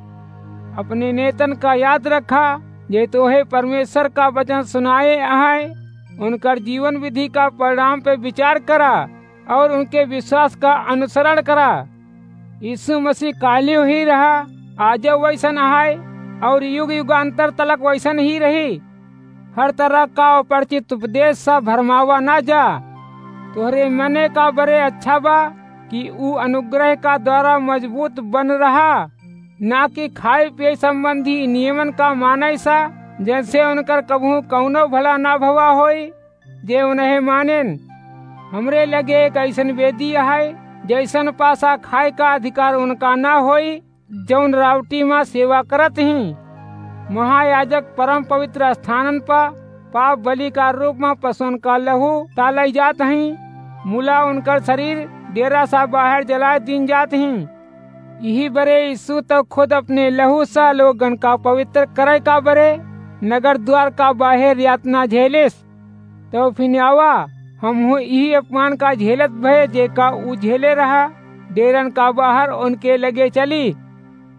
अपने नेतन का याद रखा, जे तोहे परमेश्वर का वचन सुनाए अहैं, उनकर जीवन विधि का परिणाम पे विचार करा और उनके विश्वास का अनुसरण करा। यीशु मसीह काल्यो ही रहा, आजो वइसन अहै और युग युगांतर तलक वइसन ही रही। हर तरह का अपरिचित उपदेश सा भरमावा ना जा। तोहरे मने का बरे अच्छा बा कि ऊ अनुग्रह का द्वारा मजबूत बन रहा, ना कि खाए पिए संबंधी नियमन का मानइ सा, जैसे उनकर कबहूँ कौनो भला ना भवा होई, जे उन्हें मानेन। हमरे लगे एक अइसन वेदी अहै, जइसन पासा खाए का अधिकार उनका ना होई, जौन रावटी मा सेवा करत हीं। महायाजक परम पवित्र स्थानन पा पाप बलि का रूप मा पशुअन का लहू तालइ जात हीं, मुला उनकर शरीर डेरा सा बाहेर जलाए दीन जात हीं। इही बरे यीशु तो खुद अपने लहू सा लोगन का पवित्र करइ का बरे नगर द्वार का बाहेर यातना झेलिस। तो फिन आवा, हमहूँ इही अपमान का झेलत भए, जेका ऊ झेले रहा, डेरन का बाहर उनके लगे चली।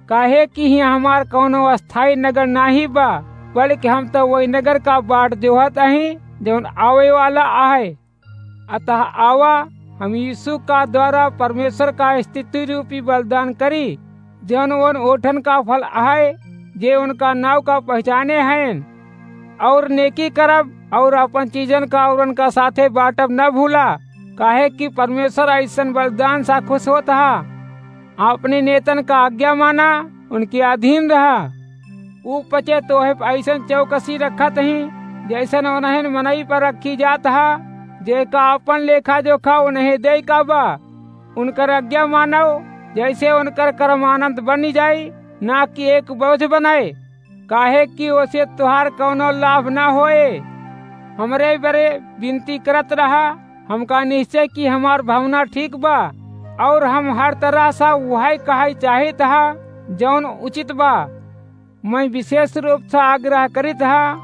काहे कि हियाँ हमार कौनो अस्थाई नगर नाहीं बा, बल्कि हम तो वही नगर का बाट जोहत अहीं, जौन आवे वाला अहै। अतः आवा, हम यीशु का द्वारा परमेश्वर का स्तुति रूपी बलिदान करी, जौन उन ओठन का फल अहै, जे उनका नाव का पहिचाने हएन। और नेकी करब और अपन चीजन का औरन का साथे बाँटब न भूला, काहे कि परमेश्वर अइसन बलिदान सा खुश होत हा। अपने नेतन का आज्ञा माना, उनके अधीन रहा। ऊ पचे तोहे अइसन चौकसी रखत हीं, जइसन ओनहन मनई पर रखी जात हा, जेका अपन लेखा जोखा उन्हें देइ का बा। उनकर आज्ञा मानव, जइसे उनकर कर्म अनंत बनि जाई, ना कि एक बोझ बनइ, काहे कि ओसे तोहार कौनो लाभ ना होए। हमरे बरे विनती करत रहा, हमका निश्चय कि हमार भावना ठीक बा, और हम हर तरह सा उहइ कहइ चाहित हा, जौन उचित बा। मैं विशेष रूप से आग्रह करित हा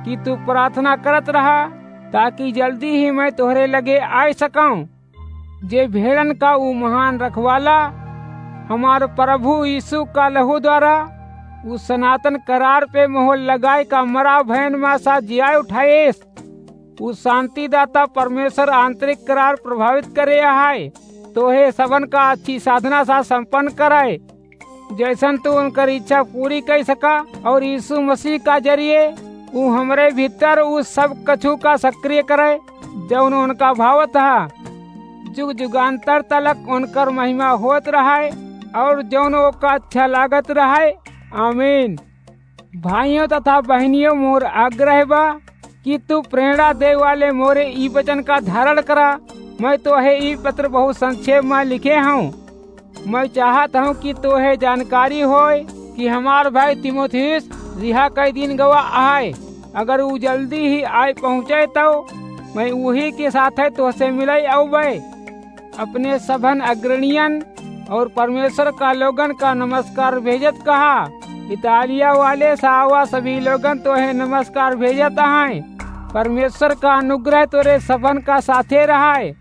कि तू प्रार्थना करत रहा, ताकि जल्दी ही मैं तोहरे लगे आइ सकौं। जे भेड़न का ऊ महान रखवाला, हमार प्रभु यीशु का लहू द्वारा ऊ सनातन करार पे मोहर लगाए का मरा भयन मा सा जियाए उठाएस। ऊ शांतिदाता परमेश्वर आंतरिक करार प्रभावित करे अहइ, तोहे सबन का अच्छी साधना सा संपन्न करइ। जइसन तू उनकर इच्छा पूरी कइ सका और यीशु मसीह का जरिए ऊ हमरे भीतर ऊ सब कछु का सक्रिय करइ, जौन उनका भावत हा। जुग जुगांतर तलक उनकर महिमा होत रहइ और जौन ओका अच्छा लागत रहइ। आमीन। भाइयों तथा बहिनियों, मोर आग्रह बा कि तू प्रेरणा दे वाले मोरे ई वचन का धारण करा। मैं तोहे ई पत्र बहुत संक्षेप मा लिखे हौं। मैं चाहत हूँ कि तोहे जानकारी होय कि हमार भाई तीमुथियुस रिहा कई दिन गवा आए। अगर ऊ जल्दी ही आए पहुँचे, तो मैं उही के साथे तोहसे मिले अउबे। अपने सभन अग्रणियन और परमेश्वर का लोगन का नमस्कार भेजत कहा। इतालिया वाले सावा सभी लोगन तोहे नमस्कार भेजत हैं। परमेश्वर का अनुग्रह तोरे सभन का साथे रहाय।